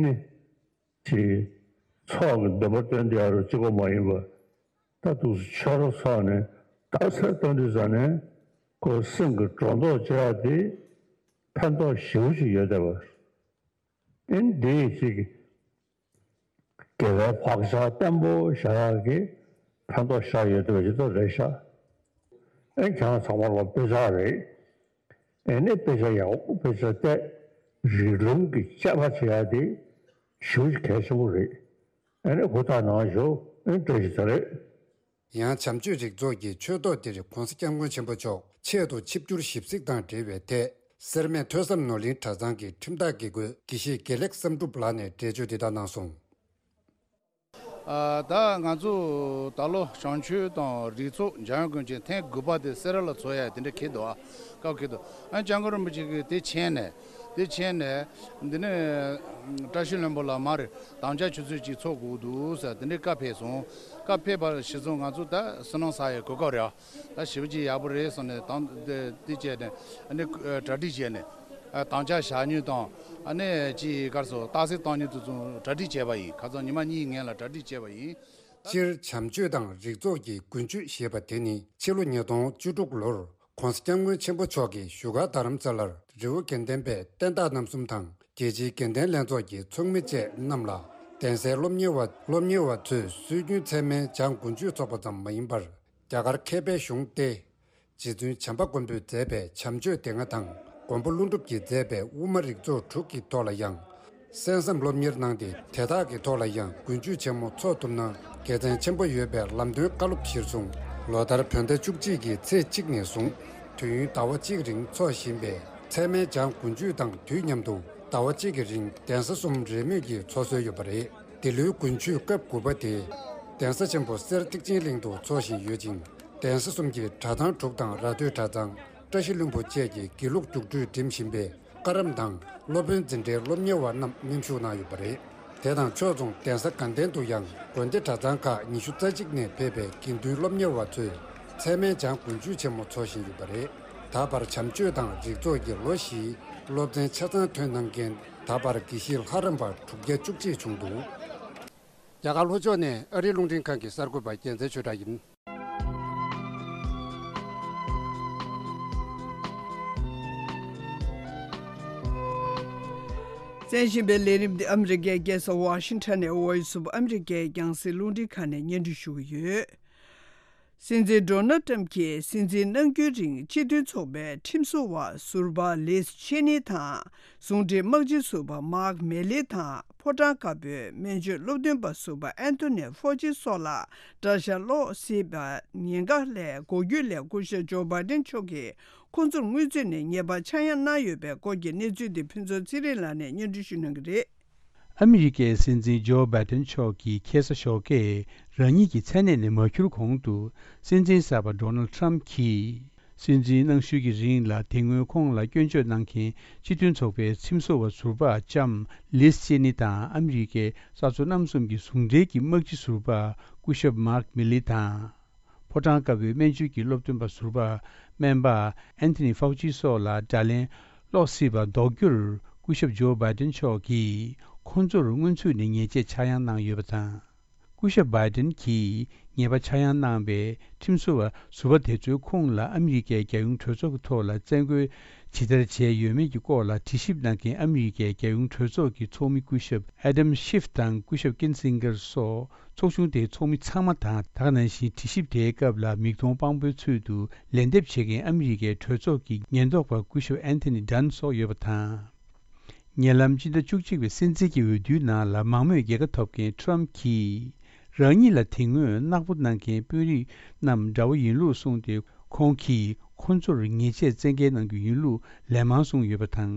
ནི་ཅིག་ཚོགས་ཀྱི་འདོད་པ་བཏོན་བསྡད་ཡག་རུ་གཅིག་པོ་མ་ཡིན་པ། ད་འདུག་སེ་ཆོས་ར་ཚོགས་ནས་རྟགས་གསལ་བཏོན་དུས་ཙ་ནས་ཁོ་སེམས་ཀྱི་སྒྲོ་འདོགས་གཅོད་ཡག་དེ་ཕན་ཐོགས་ཞེ་པོ་ཅིག་ཡོད་བསྡད་པ། ཨེ་འདི་ཅིག་དགེ་བའི་བག་ཆགས་བརྟན་པོ་བཞག་ཡག་གི་ཕན་ཐོགས་ཤར་ཡོད་བསྡད་པ་ཅིག་ཏུ་རེད་ཤག་ཨེ་ཁྱེད་རང་ཚང་མ་ལ་དཔེ་ཆ་རེད། ཨེ་ནི་དཔེ་ཆ་ཡག་པོ་དཔེ་ཆ་བལྟས། རིགས་ལམ་གྱི་དཔྱད་པ་བྱེད་ཡག་དེ་ཞེ་པོ་ཅིག་གལ་ཆེན་པོ་རེད། ཨེ་ནི་ཧུར་ཐག་གནང་ཤོག་ཨེ་བཀྲ་ཤིས་བདེ་ལེགས། ཡང་བྱམས་ཆོས་རིགས་ཚོགས་ཀྱི་ཆོས་ཐོག་འདིར་༧གོང་ས་༧སྐྱབས་མགོན་ཆེན་པོ་མཆོག་ཆེད་དུ་ཆིབས་བསྒྱུར་ཞིབ་གཟིགས་དང་འབྲེལ་བའི་ཐད། སེར་སྨད་ཐོས་བསམ་ནོར་གླིང་གྲྭ་ཚང་གི་ཁྲིམས་བདག་དགེ་བསྐོས་དགེ་བཤེས་དགེ་ལེགས་བསམ་གྲུབ་ལགས་ནས་འགྲེལ་བརྗོད་འདི་ལྟར་གནང་སོང་། ཨ། ད་ང་ཚོ་ད་ལོ་བྱམས་ཆོས་དང་རིགས་ཚོགས་འཇམ་དབྱངས་དགོན་ཆེན་ཐེངས་དགུ་པ་དེ་སེ་ར་ལ་ཚོགས་ཡ་དེ་འདྲ་འཁེལ་འདུག་ཨ། སྐབས་འཁེལ་འདུག་ཨ། སྐྱབས་མགོན་རིན་པོ་ཆེ་གིས་དེ་མཁྱེན་ནས། དེ་མཁྱེན་ནས། འདི་ནས་བཀྲ་ཤིས་ལྷུན་པོ་ལ་མར་དམ་བཅའ་ཆུ་ཚོད་གཅིག་ཚོགས་དགོས་འདུག་ཟེར་དེ་འདྲའི་བཀའ་ཕེབས་སོང་། བཀའ་ཕེབས་པ་གཞིར་བཟུང་ང་ཚོ་ད་བསོད་ནམས་བསགས་ཡའི་གོ་སྐབས་རེད་ཨ། ད་ཞེ་པོ་ཅིག་ཡག་པོ་རེད་བསམ་ནས་དང་དེ་དེ་བྱས་ནས་ཨ་ནི་གྲ་སྒྲིག་བྱས་ནས། ཨ། དམ་བཅའ་བཞག་མྱོང་དང་། ཨ་ནི་ཅིག་ག་རེ་ཟེར། རྟགས་གསལ་བཏང་མྱོང་དེ་ཚོ་གྲ་སྒྲིག་བྱས་པ་ཡིན། ཁ་སང་ཉི་མ་གཉིས་སྔོན་ལ་གྲ་སྒྲིག་བྱས་པ་ཡིན། སྤྱིར་བྱམས་ཆོས་དང་རིགས་ཚོགས་ཀྱི་དགུན་ཆོས་ཞེས་པ་དེ་ནི་ཕྱི་ལོ་ཉིས་སྟོང་བཅུ་དྲུག་ལོར་༧གོང་ས་༧སྐྱབས་མགོན་ཆེན་པོ་མཆོག་གིས་བཞུགས་སྒར་རྡ་རམ་ས་ལར་རི་བོ་དགེ་ལྡན་པའི་བསྟན་བདག་རྣམ་གསུམ་དང་རྒྱལ་སྤྱིའི་དགེ་ལྡན་ལྷན་ཚོགས་ཀྱི་ཚོགས་མི་བཅས་རྣམས་ལ་གདན་སའི་སློབ་གཉེར་བ་སློབ་གཉེར་བ་ཚོས་སྲོལ་རྒྱུན་ཚད་མའི་བྱང་དགུན་ཆོས་ཚོགས་པ་ཙམ་མ་ཡིན་པར། རྒྱ་གར་མཁས་པའི་གཞུང་སྟེ། རྗེ་བཙུན་བྱམས་པ་མགོན་པོས་མཛད་པའི་བྱམས་ཆོས་སྡེ་ལྔ་དང་མགོན་པོ་ཀླུ་སྒྲུབ་ཀྱིས་མཛད་པའི་དབུ་མ་རིགས་ཚོགས་དྲུག་གི་ཐོག་ལ་ཡང་། གསན་བསམ་སློབ་གཉེར་གནང་སྟེ། དེ་དག་གི་ཐོག་ལ་ཡང་དགུན་ཆོས་ཆེན་མོ་འཚོགས་ཐུབ་ན་དགེ་མཚན་ཆེན་པོ་ཡོད་པའི་ལམ་སྟོན་བཀའ་སློབ་གཞིར་བཟུང་། ལོ་ལྟར་བོད་ཟླ་བཅུ་གཅིག་གི་ཚེས་གཅིག་ནས་བཟུང་དུས་ཡུན་ཟླ་བ་གཅིག་རིང་འཚོགས་བཞིན་པའི་ཚད་མའི་བྱང་དགུན་ཆོས་དང་དུས་མཉམ་དུ་ཟླ་བ་གཅིག་གི་རིང་གདན་ས་གསུམ་རེས་མོས་ཀྱིས་འཚོགས་སྲོལ་ཡོད་པ་རེད། འདི་ལོའི་དགུན་ཆོས་སྐབས་དགུ་པ་དེ། གདན་ས་ཆེན་པོ་གསེར་ཐེག་ཆེན་གླིང་དུ་འཚོགས་བཞིན་ཡོད་ཅིང་། གདན་ས་གསུམ་གྱི་གྲྭ་ཚང་དྲུག་དང་ར་སྟོད་གྲྭ་ཚང་། བཀྲ་ཤིས་ལྷུན་པོ་བཅས་ཀྱི་དགེ་ལུགས་རྒྱུགས་སྤྲོད་འགྲིམ་བཞིན་པའི་བཀའ་རམས་དང་སློབ་དཔོན་འཛིན་གྲྭའི་སློབ་གཉེར་བ་རྣམས་མཉམ་ཞུགས་གནང་ཡོད་པ་རེད། དེ་དང་ཕྱོགས་མཚུངས་གདན་ས་དགའ་ལྡན་དུ་ཡང་དགོན་སྡེ་གྲྭ་ཚང་ཁག་ཉི་ཤུ་རྩ་གཅིག་ནས་ཕེབས་པའི་དགེ་འདུན་སློབ་གཉེར་བ་ཚོས་ཚད་མའི་བྱང་དགུན་ཆོས་ཆེན་མོ་འཚོགས་བཞིན་ཡོད་པ་རེད། ད་བར་བྱམས་ཆོས་དང་རིགས་ཚོགས་ཀྱི་ལོ་བཞིའི་སློབ་ཚན་ཆ་ཚང་ཐོན་གནང་མཁན། ད་བར་དགེ་བཤེས་ལྷ་རམས་པ་དྲུག་བརྒྱ་བཅུ་གཅིག་བྱུང་འདུག་རྒྱ་གར་ལྷོ་ཕྱོགས་ནས་ཨ་རིའི་རླུང་འཕྲིན་ཁང་གི་གསར་འགོད་པ་རྒྱལ་མཚན་ཆོས་གྲགས་ཡིན། གསན་བཞིན་པའི་ལས་རིམ་འདི་ཨ་མི་རི་ཀའི་རྒྱལ་ས་ཝ་ཤིང་ཊོན་ནས་Voice of America་རྒྱང་སྲིང་རླུང་འཕྲིན་ཁང་ནས་སྙན་སྒྲོན་ཞུ་གི་ཡོད། སྲིད་འཛིན་ཌོ་ནལ་ཊམ་གྱིས་སྲིད་འཛིན་གནང་རྒྱུའི་རིང་སྤྱི་མཐུན་ཚོགས་པའི་ཁྲིམས་བཟོ་བ་ཟུར་པ་ལིས་ཆེ་ནི་དང་། ཟུང་འབྲེལ་དམག་སྤྱི་ཟུར་པ་མཱག་མེ་ལི་དང་། ཕོ་བྲང་དཀར་པོའི་སྨན་བཅོས་སློབ་སྟོན་པ་ཟུར་པ་ཨན་ཐོ་ནི་ཧྥོ་ཅི་སོགས་ལ་དགྲ་ཤ་སློག་སྲིད་པ་ཉེན་ཁ་ལས་འགོག་རྒྱུ་ལས་སྐུ་ཞབས་ཇོ་བྷའི་ཏིན་མཆོག་གིས་ཁོང་ཚོར་སྔོན་ཚུད་ནས་ཉེས་པ་ཆག་ཡང་གནང་ཡོད་པའི་སྐོར་གྱི་གནས་ཚུལ་འདི་ཕུན་ཚོགས་ཚེ་རིང་ལགས་ནས་སྙན་སྒྲོན་ཞུ་གནང་གི་རེད། ཨ་མི་རི་ཀའི་སྲིད་འཛིན་ཇོ་བྷའི་ཏིན་མཆོག་གིས་ཁ་སང་ཞོགས་ཀས་རང་ཉིད་ཀྱི་མཚན་གནས་ནས་མ་འཁྱུར་གོང་དུ། སྲིད་འཛིན་གསར་པ་ཌོ་ནལ་ཊམ་གྱིས་སྲིད་འཛིན་གནང་ཤུལ་གྱི་རིང་ལ་དེ་སྔོན་ཁོང་ལ་སྐྱོན་བརྗོད་གནང་མཁན་སྤྱི་མཐུན་ཚོགས་པའི་ཁྲིམས་བཟོ་བ་ཟུར་པ་ལྕམ་ལིས་ཅེ་ནི་དང་། ཨ་མི་རི་ཀའི་གསར་བཟོ་རྣམ་གསུམ་གྱི་ཟུང་འབྲེལ་གྱི་དམག་སྤྱི་ཟུར་པ་སྐུ་ཞབས་མཱག་མི་ལི་དང་། ཕོ་བྲང་དཀར་པོའི་སྨན་བཅོས་ཀྱི་སློབ་སྟོན་པ་ཟུར་པ་སྨན་པ་ཨན་ཐོ་ནི་ཧྥའུ་ཅི་སོགས་ལ་དགྲ་ལན་སློག་སྲིད་པ་ཟློག་རྒྱུར་སྐུ་ཞབས་ཇོ་བྷའི་ཏིན་མཆོག་གིས་ཁོང་ཚོར་སྔོན་ཚུད་ནས་ཉེས་ཆད་ཆག་ཡང་གནང་ཡོད་པ་དང་། སྐུ་ཞབས་བྷའི་ཏིན་གྱིས་ཉེས་པ་ཆག་ཡང་གནང་བའི་ཁྲིམས་བཟོ་བ་ཟུར་པ་དེ་ཚོས་ཁོང་ལ་ཨ་མི་རི་ཀའི་རྒྱལ་ཡོངས་གྲོས་ཚོགས་ཀྱི་ཐོག་ལ་བཙན་རྒོལ་ཇི་ལྟར་བྱས་ཡོད་མེད་ཀྱི་སྐོར་ལ་དྲི་ཞིབ་གནང་མཁན་ཨ་མི་རི་ཀའི་རྒྱལ་ཡོངས་གྲོས་ཚོགས་ཀྱི་ཚོགས་མི་སྐུ་ཞབས་ཨེ་ཌམ་ཤིབ་དང་སྐུ་ཞབས་ཀིན་སིང་གར་སོགས། ཚོགས་ཆུང་དེའི་ཚོགས་མི་ཚང་མ་དང་། ད་ག་ནང་བཞིན་དྲི་ཞིབ་དེའི་སྐབས་ལ་མིག་མཐོང་དཔང་པོའི་ཚུལ་དུ་ལན་འདེབས་བྱེད་མཁན་ཨ་མི་རི་ཀའི་གྲོས་ཚོགས་ཀྱི་ཉེན་རྟོག་པ་སྐུ་ཞབས་ཨན་ཐོ་ནི་ཌན་སོགས་ཡོད་པ་དང་། ཉེ་ལམ་སྤྱི་ཟླ་བཅུ་གཅིག་པའི་སྲིད་འཛིན་གྱི་འོས་བསྡུའི་ནང་ལ་མང་མོས་རྒྱལ་ཁ་ཐོབ་མཁན་ཊམ་གྱིས། རང་ཉིད་ལ་དེ་སྔོན་གནག་པོ་གནང་མཁན་དཔོན་རིགས་རྣམས་འདྲ་བོ་ཡིན་ལུགས་གསུངས་ཏེ། ཁོང་གིས་ཁོ་ཚོར་ཉེས་ཆད་བཙན་འགེལ་གནང་རྒྱུ་ཡིན་ལུགས་ལན་མང་གསུངས་ཡོད་པ་དང་།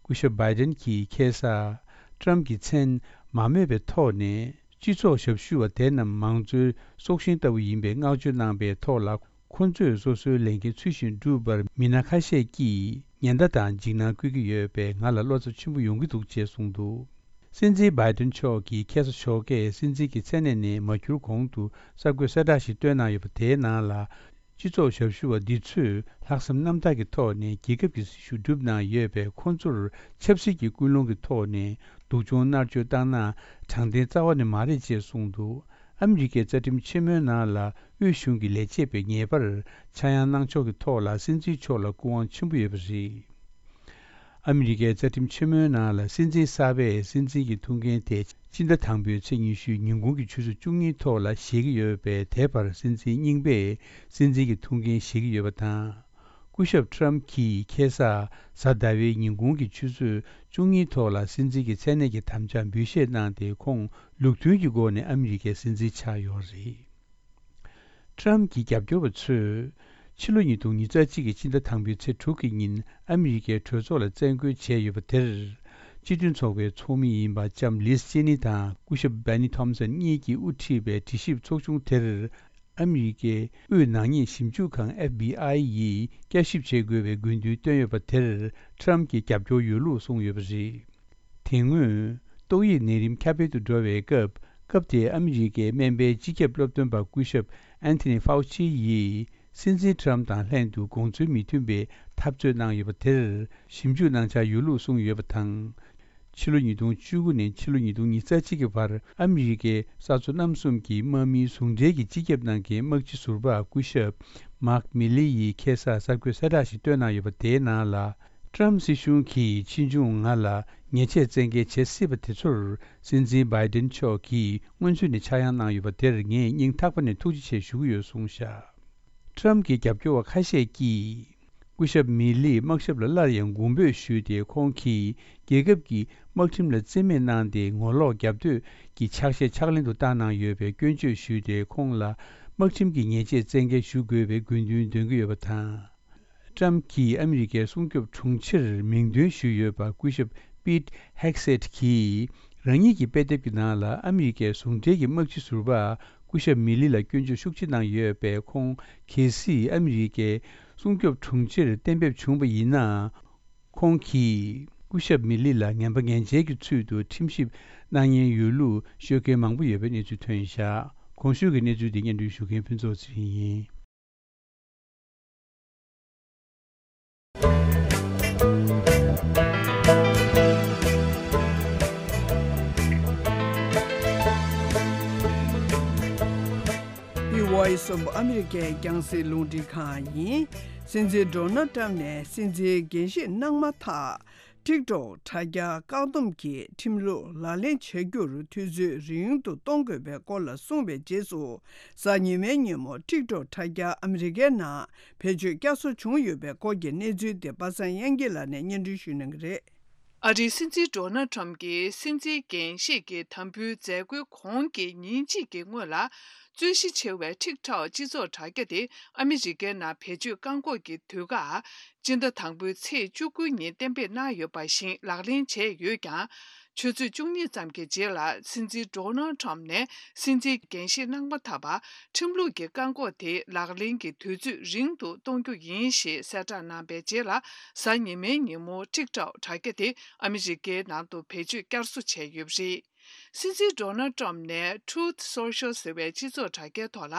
སྐུ་ཞབས་བྷའི་ཏིན་གྱིས་ཁ་སང་ཊམ་གྱི་མཚན་མ་སྨོས་པའི་ཐོག་ནས། སྤྱི་ཚོགས་ཞབས་ཞུ་བ་དེ་རྣམས་མང་གཙོའི་སྲོག་ཤིང་ལྟ་བུ་ཡིན་པའི་བསྔགས་བརྗོད་གནང་པའི་ཐོག་ལ། ཁོ་ཚོས་སོ་སོའི་ལས་འགན་ཚུལ་བཞིན་བསྒྲུབས་པར་མི་སྣ་ཁ་ཤས་ཀྱིས་ཉེན་བརྡ་དང་འཇིགས་སྣང་བསྐུལ་གྱི་ཡོད་པས། ང་ལ་བློ་འཚབ་ཆེན་པོ་ཡོང་གི་འདུག་ཅེས་གསུངས་འདུག་སྲིད་འཛིན་བྷའི་ཏིན་མཆོག་གིས་ཁ་སང་ཞོགས་ཀས་སྲིད་འཛིན་གྱི་མཚན་གནས་ནས་མ་འཁྱུར་གོང་དུ་གསར་འགོད་གསལ་བསྒྲགས་ཤིག་བཏོན་གནང་ཡོད་པ་དེའི་ནང་ལ། སྤྱི་ཚོགས་ཞབས་ཞུ་བ་འདི་ཚོས་ལྷག་བསམ་རྣམ་དག་གི་ཐོག་ནས་རྒྱལ་ཁབ་ཀྱི་སྲི་ཞུ་བསྒྲུབས་གནང་ཡོད་པས། ཁོང་ཚོར་ཆབ་སྲིད་ཀྱི་ཀུན་སློང་གི་ཐོག་ནས་སྡུག་སྦྱོང་མནར་གཅོད་བཏང་ན་དྲང་བདེན་རྩ་བ་ནས་མ་རེད་ཅེས་གསུངས་འདུག་ཨ་མི་རི་ཀའི་རྩ་ཁྲིམས་ཆེན་མོའི་ནང་ལ་དབུས་གཞུང་གི་ལས་བྱེད་པས་ཉེས་པར་ཆག་ཡང་གནང་ཕྱོགས་ཀྱི་ཐོག་ལ་སྲིད་འཛིན་མཆོག་ལ་སྐུ་དབང་ཆེན་པོ་ཡོད་པ་རེད། ཨ་མི་རི་ཀའི་རྩ་ཁྲིམས་ཆེན་མོའི་ནང་ལ་སྲིད་འཛིན་གསར་པས་སྲིད་འཛིན་གྱི་ཐུགས་འགན་དེ་སྤྱི་ཟླ་དང་པོའི་ཚེས་ཉི་ཤུའི་ཉིན་གུང་གི་ཆུ་ཚོད་བཅུ་གཉིས་ཐོག་ལ་བཞེས་ཀྱི་ཡོད་པས། དེ་བར་སྲིད་འཛིན་རྙིང་པས་སྲིད་འཛིན་གྱི་ཐུགས་འགན་བཞེས་ཀྱི་ཡོད་པ་དང་། སྐུ་ཞབས་ཊམ་གྱིས་ཁ་སང་གཟའ་ཟླ་བའི་ཉིན་གུང་གི་ཆུ་ཚོད་བཅུ་གཉིས་ཐོག་ལ་སྲིད་འཛིན་གྱི་མཚན་གནས་ཀྱི་དམ་བཅའ་འབུལ་བཞེས་གནང་སྟེ། ཁོང་ལུགས་མཐུན་གྱི་སྒོ་ནས་ཨ་མི་རི་ཀའི་སྲིད་འཛིན་ཆགས་ཡོད་རེད། ཊྲམ་གྱི་རྒྱབ་སྐྱོར་བ་ཚོས་ཕྱི་ལོ་ཉིས་སྟོང་ཉི་ཤུ་རྩ་གཅིག་གི་སྤྱི་ཟླ་དང་པོའི་ཚེས་དྲུག་གི་ཉིན་ཨ་མི་རི་ཀའི་གྲོས་ཚོགས་ལ་བཙན་རྒོལ་བྱས་ཡོད་པ་དེར། སྤྱི་མཐུན་ཚོགས་པའི་ཚོགས་མི་ཡིན་པ་ལྕམ་ལིས་ཅེ་ནི་དང་སྐུ་ཞབས་བྷེ་ནི་ཐོམ་སན་གཉིས་ཀྱིས་དབུ་ཁྲིད་པའི་དྲི་ཞིབ་ཚོགས་ཆུང་དེར། ཨ་མི་རི་ཀའི་དབུས་ནག་ཉེས་ཞིབ་འཇུག་ཁང་ཨེཕ་བྷི་ཨའི་ཡིས་བསྐྱར་ཞིབ་བྱེད་དགོས་པའི་དགོས་འདུན་བཏོན་ཡོད་པ་དེར་ཊྲམ་གྱིས་རྒྱབ་སྐྱོར་ཡོད་ལུགས་གསུངས་ཡོད་པ་རེད། དེ་སྔོན། ཏོག་དབྱིབས་ནད་རིམས་ཁྱབ་སྤེལ་དུ་འགྲོ་བའི་སྐབས། སྐབས་དེའི་ཨ་མི་རི་ཀའི་སྨན་པའི་སྤྱི་ཁྱབ་སློབ་སྟོན་པ་སྐུ་ཞབས་ཨན་ཐོ་ནི་ཧྥའུ་ཅི་ཡིས། སྲིད་འཛིན་ཊྲམ་དང་ལྷན་དུ་དགོངས་ཚུལ་མི་མཐུན་པའི་འཐབ་རྩོད་གནང་ཡོད་པ་དེར། ཞིབ་འཇུག་གནང་འཆར་ཡོད་ལུགས་གསུངས་ཡོད་པ་དང་། ཕྱི་ལོ་ཉིས་སྟོང་བཅུ་དགུ་ནས་ཕྱི་ལོ་ཉིས་སྟོང་ཉི་ཤུ་རྩ་གཅིག་གི་བར་ཨ་མི་རི་ཀའི་ས་མཚོ་གནམ་གསུམ་གྱི་དམག་མིའི་ཟུང་འབྲེལ་གྱི་སྤྱི་ཁྱབ་ནང་གི་དམག་སྤྱི་ཟུར་པ་སྐུ་ཞབས་མཱག་མི་ལི་ཡིས་ཁ་སང་གསར་འགོད་གསལ་བསྒྲགས་ཤིག་བཏོན་གནང་ཡོད་པ་དེའི་ནང་ལ། ཊྲམ་སྲིད་གཞུང་གིས་ཕྱིས་འབྱུང་ང་ལ་ཉེས་ཆད་བཙན་འགེལ་བྱེད་སྲིད་པ་དེ་ཚོར་སྲིད་འཛིན་བྷའི་ཌེན་མཆོག་གིས་སྔོན་ཚུད་ནས་ཆག་ཡང་གནང་ཡོད་པ་དེར་ངས་སྙིང་ཐག་པ་ནས་ཐུགས་རྗེ་ཆེ་ཞུ་གི་ཡོད་གསུངས་བཞག་ཊྲམ་གྱི་རྒྱབ་སྐྱོར་བ་ཁ་ཤས་ཀྱིས། སྐུ་ཞབས་མི་ལིས་དམག་ཞབས་ལ་སླར་ཡང་མགོན་འབོད་ཞུས་ཏེ། ཁོང་གིས་རྒྱལ་ཁབ་ཀྱི་དམག་ཁྲིམས་ལ་བརྩི་མེད་གནང་སྟེ། ངོ་ལོག་རྒྱབ་གཏོད་ཀྱི་ཕྱག་བཞེས་ཕྱག་ལེན་དུ་བསྟར་གནང་ཡོད་པའི་སྐྱོན་བརྗོད་ཞུས་ཏེ། ཁོང་ལ་དམག་ཁྲིམས་ཀྱི་ཉེས་ཆད་བཙན་འགེལ་ཞུ་དགོས་པའི་དགོས་འདུན་འདོན་གྱི་ཡོད་པ་དང་། ཊྲམ་གྱིས་ཨ་མི་རི་ཀའི་སྲུང་སྐྱོབ་དྲུང་ཆེར་མིང་འདོན་ཞུས་ཡོད་པ་སྐུ་ཞབས་པིད་ཧེག་སེད་ཀྱིས་རང་ཉིད་ཀྱི་དཔེ་དེབ་ཀྱི་ནང་ལ་ཨ་མི་རི་ཀའི་ཟུང་འབྲེལ་གྱི་དམག་སྤྱི་ཟུར་པ་སྐུ་ཞབས་མི་ལི་ལ་སྐྱོན་བརྗོད་ཤུགས་ཆེ་གནང་ཡོད་པས། ཁོང་གལ་སྲིད་ཨ་མི་རི་ཀའི་སྲུང་སྐྱོབ་དྲུང་ཆེར་གཏན་འབེབས་བྱུང་བ་ཡིན་ན། ཁོང་གིས་སྐུ་ཞབས་མི་ལི་ལ་ངན་པ་ངན་འཇལ་གྱི་ཚུལ་དུ་ཁྲིམས་ཞིབ་གནང་ཉེན་ཡོད་ལུགས་ཤོད་མཁན་མང་པོ་ཡོད་པའི་གནས་ཚུལ་ཐོན་བཞག་གོང་ཞུས་ཀྱི་གནས་ཚུལ་འདི་སྙན་སྒྲོན་ཞུ་མཁན་ཕུན་ཚོགས་ཚེ་རིང་ཡིན། The Voice of America རྒྱང་སྲིང་རླུང་འཕྲིན་ཁང་ཡིན། སྲིད་འཛིན་ཌོ་ནལ་ཊམ་ནས་སྲིད་འཛིན་འགན་བཞེས་གནང་མ་ཐག་ཊིག་ཊོག་དྲ་རྒྱ་བཀག་སྡོམ་གྱི་ཁྲིམས་ལུགས་ལག་ལེན་བྱ་རྒྱུར་དུས་ཚོད་རིང་དུ་གཏོང་དགོས་པའི་སྐོར་ལ་གསུངས་པའི་རྗེས་སུ། གཟའ་ཉི་མའི་ཉིན་མོ་ཊིག་ཊོག་དྲ་རྒྱ་ཨ་མི་རི་ཀའི་ནང་བེད་སྤྱོད་བསྐྱར་གསོ་བྱུང་ཡོད་པའི་སྐོར་གྱི་གནས་ཚུལ་དེ་པ་སངས་དབྱངས་སྐྱིད་ལགས་ནས་སྙན་སྒྲོན་ཞུ་གནང་གི་རེད། ཨ་རིའི་སྲིད་འཛིན་ཌོ་ནལ་ཊམ་གྱིས་སྲིད་འཛིན་འགན་བཞེས་ཀྱི་དམ་འབུལ་མཛད་སྒོའི་གོང་གི་ཉིན་གཅིག་གི་སྔོན་ལ། རྩོད་གཞི་ཆེ་བའི་ཊིག་ཊོག་སྤྱི་ཚོགས་དྲ་རྒྱ་དེ་ཨ་མི་རི་ཀའི་ནང་བེད་སྤྱོད་བཀག་འགོག་གི་དུས་བཀག་སྤྱི་ཟླ་དང་པོའི་ཚེས་བཅུ་དགུ་ཉིན་གཏན་འབེབས་གནང་ཡོད་པ་བཞིན་ལག་ལེན་བྱས་ཡོད་ཀྱང་། ཆུ་ཚོད་བཅུ་གཉིས་ཙམ་གྱི་རྗེས་ལ། སྲིད་འཛིན་ཌོ་ནལ་ཊམ་ནས་སྲིད་འཛིན་འགན་བཞེས་གནང་མ་ཐག་པར། ཁྲིམས་ལུགས་ཀྱི་བཀག་འགོག་དེ་ལག་ལེན་གྱི་དུས་ཚོད་རིང་དུ་གཏོང་རྒྱུ་ཡིན་ཞེས་གསལ་བསྒྲགས་གནང་པའི་རྗེས་ལ། གཟའ་ཉི་མའི་ཉིན་མོ་ཊིག་ཊོག་དྲ་རྒྱ་དེ་ཨ་མི་རི་ཀའི་ནང་དུ་བེད་སྤྱོད་བསྐྱར་གསོ་བྱས་ཡོད་པ་རེད། སྲིད་འཛིན་ཌོ་ནལ་ཊམ་ནས་Truth Social ཟེར་བའི་སྤྱི་ཚོགས་དྲ་རྒྱའི་ཐོག་ལ།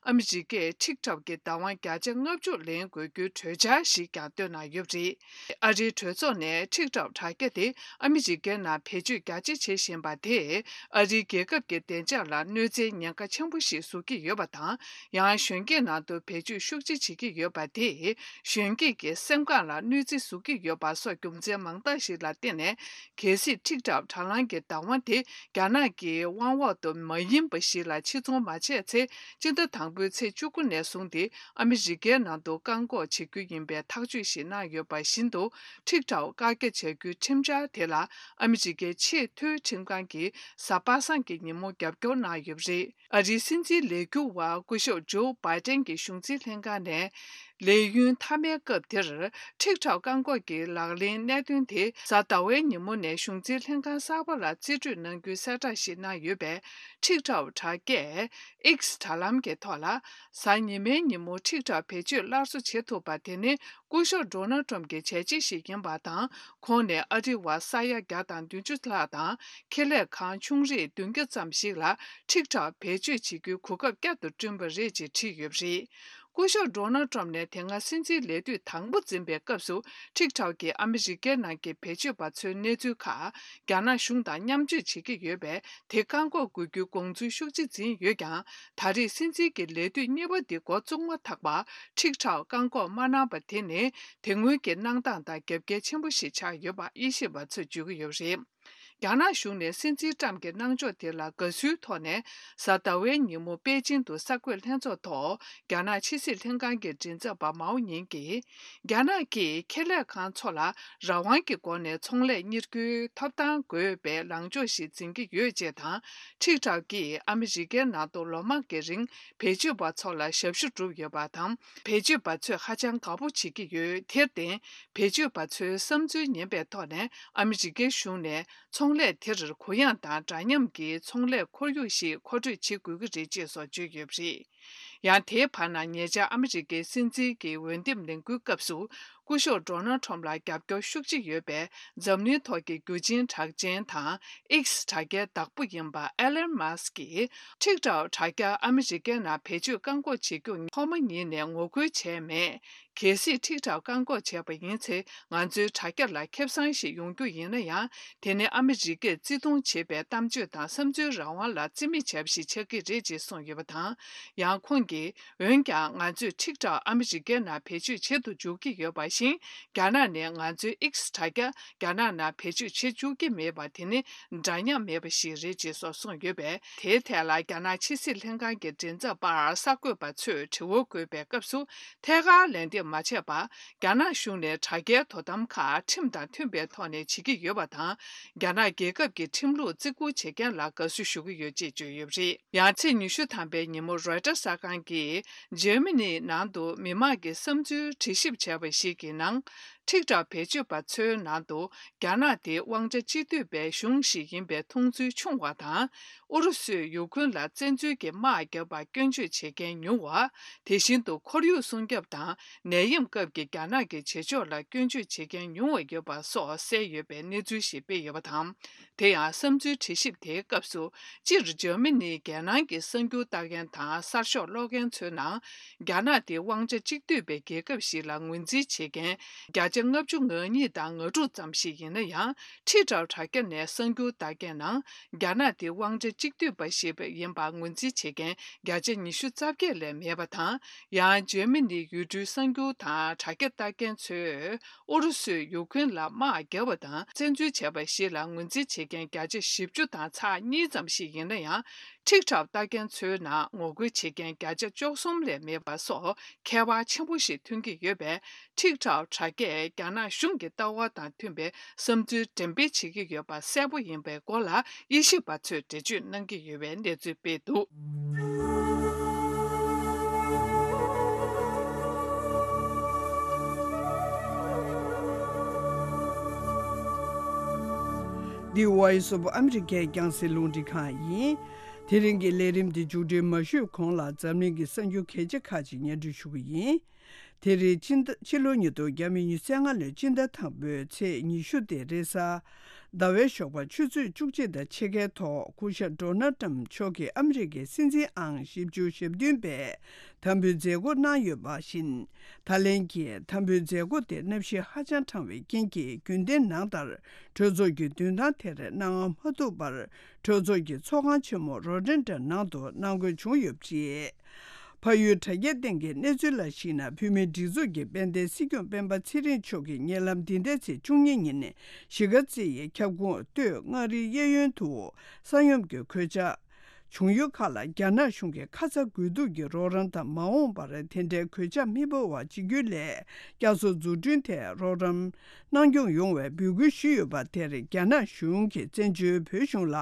ཨ་མི་རི་ཀས་ཊིག་ཊོག་གི་བདག་དབང་བརྒྱ་ཆ་ལྔ་བཅུ་ལེན་དགོས་རྒྱུའི་གྲོས་འཆར་ཞིག་ཀྱང་བཏོན་གནང་ཡོད་པ་རེད། ཨ་རིའི་གྲོས་ཚོགས་ནས་ཊིག་ཊོག་དྲ་རྒྱ་དེ་ཨ་མི་རི་ཀའི་ནང་བེད་སྤྱོད་རྒྱ་ཆེ་བྱེད་བཞིན་པ་དེས། ཨ་རིའི་རྒྱལ་ཁབ་ཀྱི་བདེ་འཇགས་ལ་གནོད་འཚེའི་ཉེན་ཁ་ཆེན་པོ་ཞིག་བཟོ་གི་ཡོད་པ་དང་། ཡང་གཞོན་སྐྱེས་ནང་དུ་བེད་སྤྱོད་ཤུགས་ཆེ་བྱེད་ཀྱི་ཡོད་པ་དེས། གཞོན་སྐྱེས་ཀྱི་སེམས་ཁམས་ལ་གནོད་འཚེ་བཟོ་གི་ཡོད་པ་སོགས་རྒྱུ་མཚན་མང་དག་ཞིག་ལ་བརྟེན་ནས། གལ་སྲིད་ཊིག་ཊོག་དྲ་ལམ་གྱི་བདག་དབང་དེ་རྒྱ་ནག་གི་དབང་འོག་ཏུ་མ་ཡིན་པ་ཞིག་ལ་ཕྱིར་ཚོང་མ་བྱས་ཚེ། སྤྱི་ཟླ་དང་པོའི་ཚེས་བཅུ་དགུ་ནས་བཟུང་སྟེ་ཨ་མི་རི་ཀའི་ནང་དུ་བཀག་འགོག་བྱེད་རྒྱུ་ཡིན་པའི་ཐག་གཅོད་ཞིག་གནང་ཡོད་པ་བཞིན་དུ། ཊིག་ཊོག་བཀག་རྒྱ་བྱ་རྒྱུའི་ཁྲིམས་འཆར་དེ་ལ་ཨ་མི་རི་ཀའི་ཆེས་མཐོའི་ཁྲིམས་ཁང་གིས་གཟའ་པ་སངས་ཀྱི་ཉིན་མོ་རྒྱབ་སྐྱོར་གནང་ཡོད་པ་རེད། ཨ་རིའི་སྲིད་འཛིན་ལས་འཁྱུར་བ་སྐུ་ཞབས་ཇོ་བྷའི་ཏན་གྱི་གཞུང་འཛིན་ལྷན་ཁང་ནས། ལས་ཡུན་མཐའ་མའི་སྐབས་དེར་ཊིག་ཊོག་བཀག་འགོག་གི་ལག་ལེན་གནད་དོན་དེ་གཟའ་ཟླ་བའི་ཉིན་མོ་ནས་གཞུང་འཛིན་ལྷན་ཁང་གསར་པ་ལ་རྩིས་སྤྲོད་གནང་རྒྱུའི་གསལ་བསྒྲགས་ཤིག་གནང་ཡོད་པས། ཊིག་ཊོག་དྲ་རྒྱས་X དྲ་ལམ་གྱི་ཐོག་ལ་གཟའ་ཉི་མའི་ཉིན་མོ་ཊིག་ཊོག་བེད་སྤྱོད་སླར་གསོ་བྱེད་ཐུབ་པ་དེ་ནི་སྐུ་ཞབས་ཌོ་ནལ་ཊམ་གྱི་བྱས་རྗེས་ཤིག་ཡིན་པ་དང་། ཁོང་ནས་ཨ་རི་བ་ས་ཡ་བརྒྱ་དང་བདུན་ཅུ་ལྷག་དང་ཁེ་ལས་ཁང་ཆུང་རིགས་བདུན་བརྒྱ་ཙམ་ཞིག་ལ་ཊིག་ཊོག་བེད་སྤྱོད་བྱེད་རྒྱུའི་གོ་སྐབས་བསྐྱར་དུ་བསྐྲུན་པ་རེད་ཅེས་བྲིས་ཡོད་པ་རེད། སྐུ་ཞབས་ཌོ་ནལ་ཊམ་ནས་དེ་སྔ་སྲིད་འཛིན་ལས་དུས་དང་པོ་འཛིན་པའི་སྐབས་སུ། ཊིག་ཊོག་གིས་ཨ་མི་རི་ཀའི་ནང་གི་བེད་སྤྱོད་པ་ཚོའི་གནས་ཚུལ་ཁག་རྒྱ་ནག་གཞུང་དང་མཉམ་སྤྱོད་བྱེད་ཀྱི་ཡོད་པས། དེ་བཀག་འགོག་དགོས་རྒྱུའི་དགོངས་ཚུལ་ཤུགས་ཆེ་འཛིན་ཡོད་ཀྱང་། ད་རེས་སྲིད་འཛིན་གྱི་ལས་དུས་གཉིས་པ་འདི་འགོ་བཙུགས་མ་ཐག་པར། ཊིག་ཊོག་བཀག་འགོག་མ་གནང་པ་དེ་ནི། དེ་སྔོན་གྱི་གནང་སྟངས་དང་རྒྱབ་འགལ་ཆེན་པོ་ཞིག་ཆགས་ཡོད་པ་དབྱེ་ཞིབ་པ་ཚོས་བརྗོད་ཀྱི་ཡོད་པ་རེད། རྒྱ་ནག་གཞུང་ནས་སྲིད་འཛིན་ཀྲམ་གྱི་གནང་ཕྱོགས་དེ་ལ་དགའ་བསུའི་ཐོག་ནས། གཟའ་ཟླ་བའི་ཉིན་མོ་པེ་ཅིང་དུ་གསར་འགོད་ལྷན་ཚོགས་ཐོག་རྒྱ་ནག་ཕྱི་སྲིད་ལྷན་ཁང་གི་མགྲིན་ཚབ་པ་མའོ་ཉིང་གིས། རྒྱ་ནག་གིས་ཁེ་ལས་ཁང་ཚོ་ལ་རང་དབང་གི་སྒོ་ནས་ཚོང་ལས་གཉེར་རྒྱུའི་ཐོབ་ཐང་དགོས་པའི་ལངས་ཕྱོགས་ཤིག་འཛིན་གྱི་ཡོད་ཅེས་དང་། ཊིག་ཊོག་གིས་ཨ་མི་རི་ཀའི་ནང་དུ་ལོ་མང་གི་རིང་བེད་སྤྱོད་པ་ཚོ་ལ་ཞབས་ཞུ་བསྒྲུབས་ཡོད་པ་དང་། བེད་སྤྱོད་པ་ཚོས་ཧ་ཅང་དགའ་པོ་བྱེད་ཀྱི་ཡོད། དེར་བརྟེན། བེད་སྤྱོད་པ་ཚོའི་བསམ་ཚུལ་ཉན་པའི་ཐོག་ནས་ཨ་མི་རི་ཀའི་གཞུང་ནས་ཚོང་ལས་དེར་གུ་ཡངས་དང་འདྲ་མཉམ་གྱི་ཚོང་ལས་ཁོར་ཡུག་ཞིག་མཁོ་སྤྲོད་བྱེད་དགོས་ཀྱི་རེད་ཅེས་སོགས་བརྗོད་ཡོད་པ་རེད། ཡང་དེའི་བར་ན་ཉེ་ཆར་ཨ་མི་རི་ཀའི་སྲིད་འཛིན་གྱི་འོས་འདེམས་ལས་འགུལ་སྐབས་སུ། སྐུ་ཞབས་ཌོ་ནལ་ཁྲོམ་ལ་རྒྱབ་སྐྱོར་ཤུགས་ཆེ་ཡོད་པའི་འཛམ་གླིང་ཐོག་གི་རྒྱུ་ཆེན་གྲགས་ཅན་དང་ཨེགས་དྲ་རྒྱའི་བདག་པོ་ཡིན་པ་ཨེ་ལན་མཱ་སི་ཀྱིས། ཊིག་ཊོག་དྲ་རྒྱ་ཨ་མི་རི་ཀའི་ནང་བེད་སྤྱོད་བཀག་འགོག་བྱེད་རྒྱུ་ཐོག་མ་ཉིད་ནས་ངོ་རྒོལ་བྱས་མེད། གལ་སྲིད་ཊིག་ཊོག་བཀག་འགོག་བྱས་པ་ཡིན་ཚེ། ང་ཚོའི་དྲ་རྒྱ་ལ་ཁེ་བཟང་ཞིག་ཡོང་རྒྱུ་ཡིན་ན་ཡང་། དེ་ནི་ཨ་མི་རི་ཀས་བརྩི་མཐོང་བྱེད་པའི་གཏམ་བརྗོད་དང་བསམ་ཚུལ་རང་དབང་ལ་བརྩི་མེད་བྱས་པ་ཞིག་ཆགས་ཀྱི་རེད་ཅེས་གསུངས་ཡོད་པ་དང་། ཡང་ཁོང་གིས། འོན་ཀྱང་། ང་ཚོས་ཊིག་ཊོག་ཨ་མི་རི་ཀའི་ནང་བེད་སྤྱོད་བྱེད་དུ་འཇུག་གི་ཡོད་པ་བཞིན། རྒྱ་ནག་ནས་ང་ཚོའི་ཨེགས་དྲ་རྒྱ་རྒྱ་ནག་ནང་བེད་སྤྱོད་བྱེད་བཅུག་གི་མེད་པ་དེ་ནི་འདྲ་མཉམ་མེད་པ་ཞིག་རེད་ཅེས་སོགས་གསུངས་ཡོད་པས། དེའི་ཐད་ལ་རྒྱ་ནག་ཕྱི་སྲིད་ལྷན་ཁང་གི་མགྲིན་ཚབ་པར་གསར་འགོད་པ་ཚོས་དྲི་བ་བཀོད་པའི་སྐབས་སུ། ཐད་ཀར་ལན་འདེབས་མ་བྱས་པར། རྒྱ་ནག་གཞུང་ནས་དྲ་རྒྱའི་དོ་དམ་ཁག་ཁྲིམས་དང་མཐུན་པའི་ཐོག་ནས་བྱེད་ཀྱི་ཡོད་པ་དང་། རྒྱ་ནག་རྒྱལ་ཁབ་ཀྱི་ཁྲིམས་ལུགས་བརྩི་བཀུར་བྱེད་མཁན་ལ་དགའ་བསུ་ཞུ་གི་ཡོད་ཅེས་བརྗོད་ཡོད་པ་རེད། ཡང་ཚེས་ཉི་ཤུ་ཐམ་པའི་ཉིན་མོ་རོའི་ཊར་གསར་ཁང་གིས། འཇར་མ་ནིའི་ནང་དུ་མི་མང་གི་བསམ་ཚུལ་དྲི་ཞིབ་བྱས་པ་ཞིག་གི་ནང་། ཊིག་ཊོག་བེད་སྤྱོད་པ་ཚོའི་ནང་དུ། རྒྱ་ནག་དེ་དབང་ཆ་གཅིག་སྡུད་པའི་གཞུང་ཞིག་ཡིན་པའི་མཐོང་ཚུལ་ཆུང་བ་དང་། ཨུ་རུ་སུས་ཡུ་ཁུན་ལ་བཙན་འཛུལ་གྱིས་དམག་བརྒྱབ་པར་སྐྱོན་བརྗོད་བྱེད་མཁན་ཉུང་བ། དེ་བཞིན་དུ་ཁོར་ཡུག་སྲུང་སྐྱོབ་དང་ནད་ཡམས་སྐབས་ཀྱི་རྒྱ་ནག་གི་བྱེད་ཕྱོགས་ལ་སྐྱོན་བརྗོད་བྱེད་མཁན་ཉུང་བ་ཡོད་པ་སོགས་གསལ་ཡོད་པའི་གནས་ཚུལ་ཞིག་སྤེལ་ཡོད་པ་དང་། དེ་ཡང་བསམ་ཚུལ་དྲི་ཞིབ་དེའི་སྐབས་སུ། སྤྱིར་འཇར་མ་ནིའི་རྒྱལ་ནང་གི་གསར་འགྱུར་ལྟ་མཁན་དང་གསར་ཤོག་ཀློག་མཁན་ཚོའི་ནང་། རྒྱ་ནག་དེ་དབང་ཆ་གཅིག་སྡུད་པའི་རྒྱལ་ཁབ་ཞིག་ལ་ངོས་འཛིན་བྱེད་མཁན་བརྒྱ་ཆ་ལྔ་བཅུ་ང་གཉིས་དང་ང་དྲུག་ཙམ་ཞིག་ཡིན་ན་ཡང་། ཊི་ཊོག་དྲ་རྒྱ་ནས་གསར་འགྱུར་ལྟ་མཁན་ནང་རྒྱ་ནག་དེ་དབང་ཆ་གཅིག་སྡུད་པ་ཞིག་ཡིན་པར་ངོས་འཛིན་བྱེད་མཁན་བརྒྱ་ཆ་ཉི་ཤུ་རྩ་བརྒྱད་ལས་མེད་པ་དང་། ཡང་འཇར་མ་ནིའི་ཡུལ་གྲུའི་གསར་འགྱུར་དང་དྲ་རྒྱ་ལྟ་མཁན་ཚོས། ཨུ་རུ་སུས་ཡུ་ཁུན་ལ་དམག་བརྒྱབ་པ་དང་བཙན་འཛུལ་བྱས་པ་ཞིག་ལ་ངོས་འཛིན་བྱེད་མཁན་བརྒྱ་ཆ་བཞི་བཅུ་དང་ཚེག་གཉིས་ཙམ་ཞིག་ཡིན་ན་ཡང་། ཊིག་ཊོག་ལྟ་མཁན་ཚོའི་ནང་ངོ་རྒོལ་བྱེད་མཁན་བརྒྱ་ཆ་བཅུ་གསུམ་ལས་མེད་པ་སོགས་ཁྱད་པར་ཆེན་པོ་ཞིག་ཐོན་གྱི་ཡོད་པས། ཊིག་ཊོག་དྲ་རྒྱས་རྒྱ་ནག་གཞུང་གི་ལྟ་བ་དང་མཐུན་པའི་བསམ་ཚུལ་འགྲེམས་སྤེལ་བྱེད་ཀྱི་ཡོད་པ་གསལ་པོ་ཡིན་པའི་སྐོར་ལ་དབྱེ་ཞིབ་པ་ཚོས་འགྲེལ་བརྗོད་གནང་གི་ཡོད་པའི་གནས་ཚུལ་སྤེལ་འདུག། འདི་Voice of America རྒྱང་སྲིང་རླུང་འཕྲིན་ཁང་ཡིན། དེ་རིང་གི་ལས་རིམ་འདི་མཇུག་སྒྲིལ་མ་ཞུས་གོང་ལ་འཛམ་གླིང་གི་གསར་འགྱུར་གལ་ཆེ་ཁག་ཅིག་སྙན་སྒྲོན་ཞུ་གི་ཡིན། དེ་རིང་ཕྱི་ཟླ་ཕྱི་ལོ་ཉིས་སྟོང་ཉི་ཤུ་རྩ་ལྔ་ལོའི་སྤྱི་ཟླ་དང་པོའི་ཚེས་ཉི་ཤུ་སྟེ་རེས་གཟའ་ཟླ་བའི་ཞོགས་པ་ཆུ་ཚོད་བཅུ་གཅིག་དང་ཕྱེད་ཀའི་ཐོག་སྐུ་ཞབས་ཌོ་ནལ་ཊམ་མཆོག་གིས་ཨ་མི་རི་ཀའི་སྲིད་འཛིན་ཨང་བཞི་བཅུ་ཞེ་བདུན་པའི་དམ་འབུལ་མཛད་སྒོ་གནང་ཡོད་པ་བཞིན། ད་ལན་གྱི་དམ་འབུལ་མཛད་སྒོ་དེ་གནམ་གཤིས་ཧ་ཅང་གྲང་བའི་རྐྱེན་གྱིས་རྒྱུན་ལྡན་ནང་ལྟར་གྲོས་ཚོགས་ཀྱི་མདུན་ཐང་དེར་གནང་མ་ཐུབ་པར། གྲོས་ཚོགས་ཀྱི་ཚོགས་ཁང་ཆེན་མོ་རོ་ཏན་ཏྲ་ནང་དུ་གནང་དགོས་བྱུང་ཡོད་པ་རེད། ཕ་ཡུལ་དྲ་རྒྱའི་སྟེང་གི་གནས་ཚུལ་ལ་གཞིགས་ན། བོད་མིའི་སྒྲིག་འཛུགས་ཀྱི་དཔལ་ལྡན་སྲིད་སྐྱོང་སྤེན་པ་ཚེ་རིང་མཆོག་གིས་ཉེ་ལམ་འདི་ཟླའི་ཚེས་བཅུ་གཉིས་ཉིན་གཞིས་ཀ་རྩེ་ཡི་ཁྱབ་ཁོངས་སྟོད་མངའ་རིས་གཡས་གཡོན་དུ་ས་ཡོམ་གྱི་གོད་ཆག་བྱུང་ཡུལ་ཁག་ལ་རྒྱ་ནག་གཞུང་གིས་ཁ་ཚ་དགོས་གཏུགས་ཀྱི་རོགས་རམ་དང་། མ་འོངས་པར་དེ་འདྲའི་གོད་ཆག་མི་འབབ་པ་བྱེད་རྒྱུའི་སླད་བསྐྱར་གསོ་འཛུགས་སྐྲུན་ཐད་རོགས་རམ་གནང་སྐྱོང་ཡོང་བའི་འབོད་སྐུལ་ཞུས་ཡོད་པ་དེར་རྒྱ་ནག་གཞུང་གིས་བཙན་བྱོལ་བོད་གཞུང་ལ་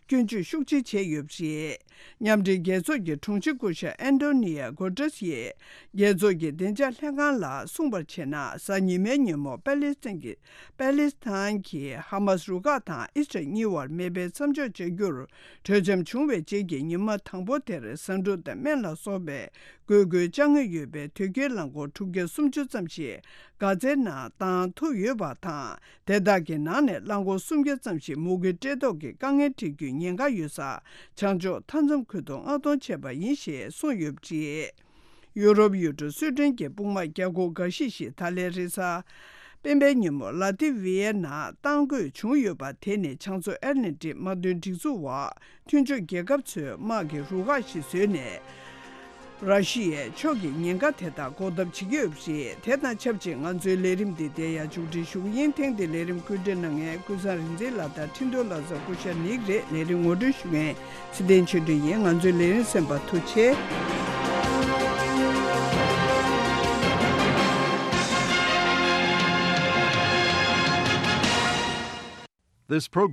སྐྱོན་བརྗོད་ཤུགས་ཆེ་བྱས་ཡོད་པ་རེད། མཉམ་འབྲེལ་རྒྱལ་ཚོགས་ཀྱི་དྲུང་ཆེ་སྐུ་ཞབས་ཨན་ཏོ་ནི་ཡ་གོ་ཏྲེས་ཡིས་རྒྱལ་ཚོགས་ཀྱི་བདེ་འཇགས་ལྷན་ཁང་ལ་གསུངས་པར་བྱས་ན། གཟའ་ཉི་མའི་ཉིན་མོ་པ་ལི་སི་ཐན་གྱི་པ་ལི་སི་ཐན་གྱི་ཧ་མ་སི་རུ་ཁག་དང་ཨི་སི་རལ་གཉིས་བར་མེ་འཕེན་མཚམས་འཇོག་བྱ་རྒྱུར་གྲོས་འཆམ་བྱུང་བའི་རྗེས་ཀྱི་ཉི་མ་དང་པོ་དེར་ཟ་འབྲུ་དང་སྨན་ལ་སོགས་པའི་དགོས་མཁོའི་ཅ་དངོས་ཡོད་པའི་དོས་སྐྱེལ་རླངས་འཁོར་དྲུག་བརྒྱ་སུམ་ཅུ་ཙམ་ཞིག་གྷ་ཛའི་ནང་བཏང་ཐུབ་ཡོད་པ་དང་། དེ་དག་གི་ནང་ནས་རླངས་འཁོར་སུམ་བརྒྱ་ཙམ་ཞིག་མུ་གེ་བཀྲེས་ལྟོགས་ཀྱི་དཀའ་ངལ་འཕྲད་རྒྱུའི་ཉེན་ཁ་ཡོད་ས་བྱང་ཕྱོགས་མཐའ་མཚམས་ཁུལ་དུ་མངགས་གཏོང་བྱས་པ་ཡིན་ཞེས་གསུངས་ཡོད་པ་རེད། ཡུ་རོབ་ཡུལ་གྲུ་སུའེ་ཏེན་གྱི་དཔུང་དམག་རྒྱ་སྒོར་འགའ་ཤས་ཤིག་ད་ལན་རེས་གཟའ་སྤེན་པའི་ཉིན་མོ་ལ་ཏི་ཝི་ཡའི་ནང་གཏང་དགོས་བྱུང་ཡོད་པ་དེ་ནི་བྱང་མཚོ་ཨེཊ་ལན་ཏིག་དམག་དོན་སྒྲིག་འཛུགས་འོག་མཐུན་ཕྱོགས་རྒྱལ་ཁབ་ཚོའི་དམག་གི་རུ་ཁག་ཞིག་བཟོས་ནས། ར་ཤི་ཡས་ཕྱོགས་ཀྱིས་ཉེན་ཁ་དེ་དག་འགོག་ཐབས་བྱེད་ཀྱི་ཡོད་པ་རེད། དེ་དང་ཆབས་ཅིག་ང་ཚོའི་ལས་རིམ་འདི་འདིར་ཡང་མཇུག་སྒྲིལ་ཞུ་གི་ཡིན། ཐེངས་འདིའི་ལས་རིམ་བཀོད་སྒྲིག་གནང་མཁན་ཀུན་བཟང་རིག་འཛིན་ལགས་དང་འཕྲིན་གཏོང་ལག་རྩལ་སྐུ་ཞབས་ནིག་རེད། ལས་རིམ་ངོ་སྤྲོད་ཞུ་མཁན་ཚེ་བརྟན་ཆོས་སྒྲོན་ཡིན། ང་ཚོའི་ལས་རིམ་གསན་པར་ཐུགས་རྗེ་ཆེ། This program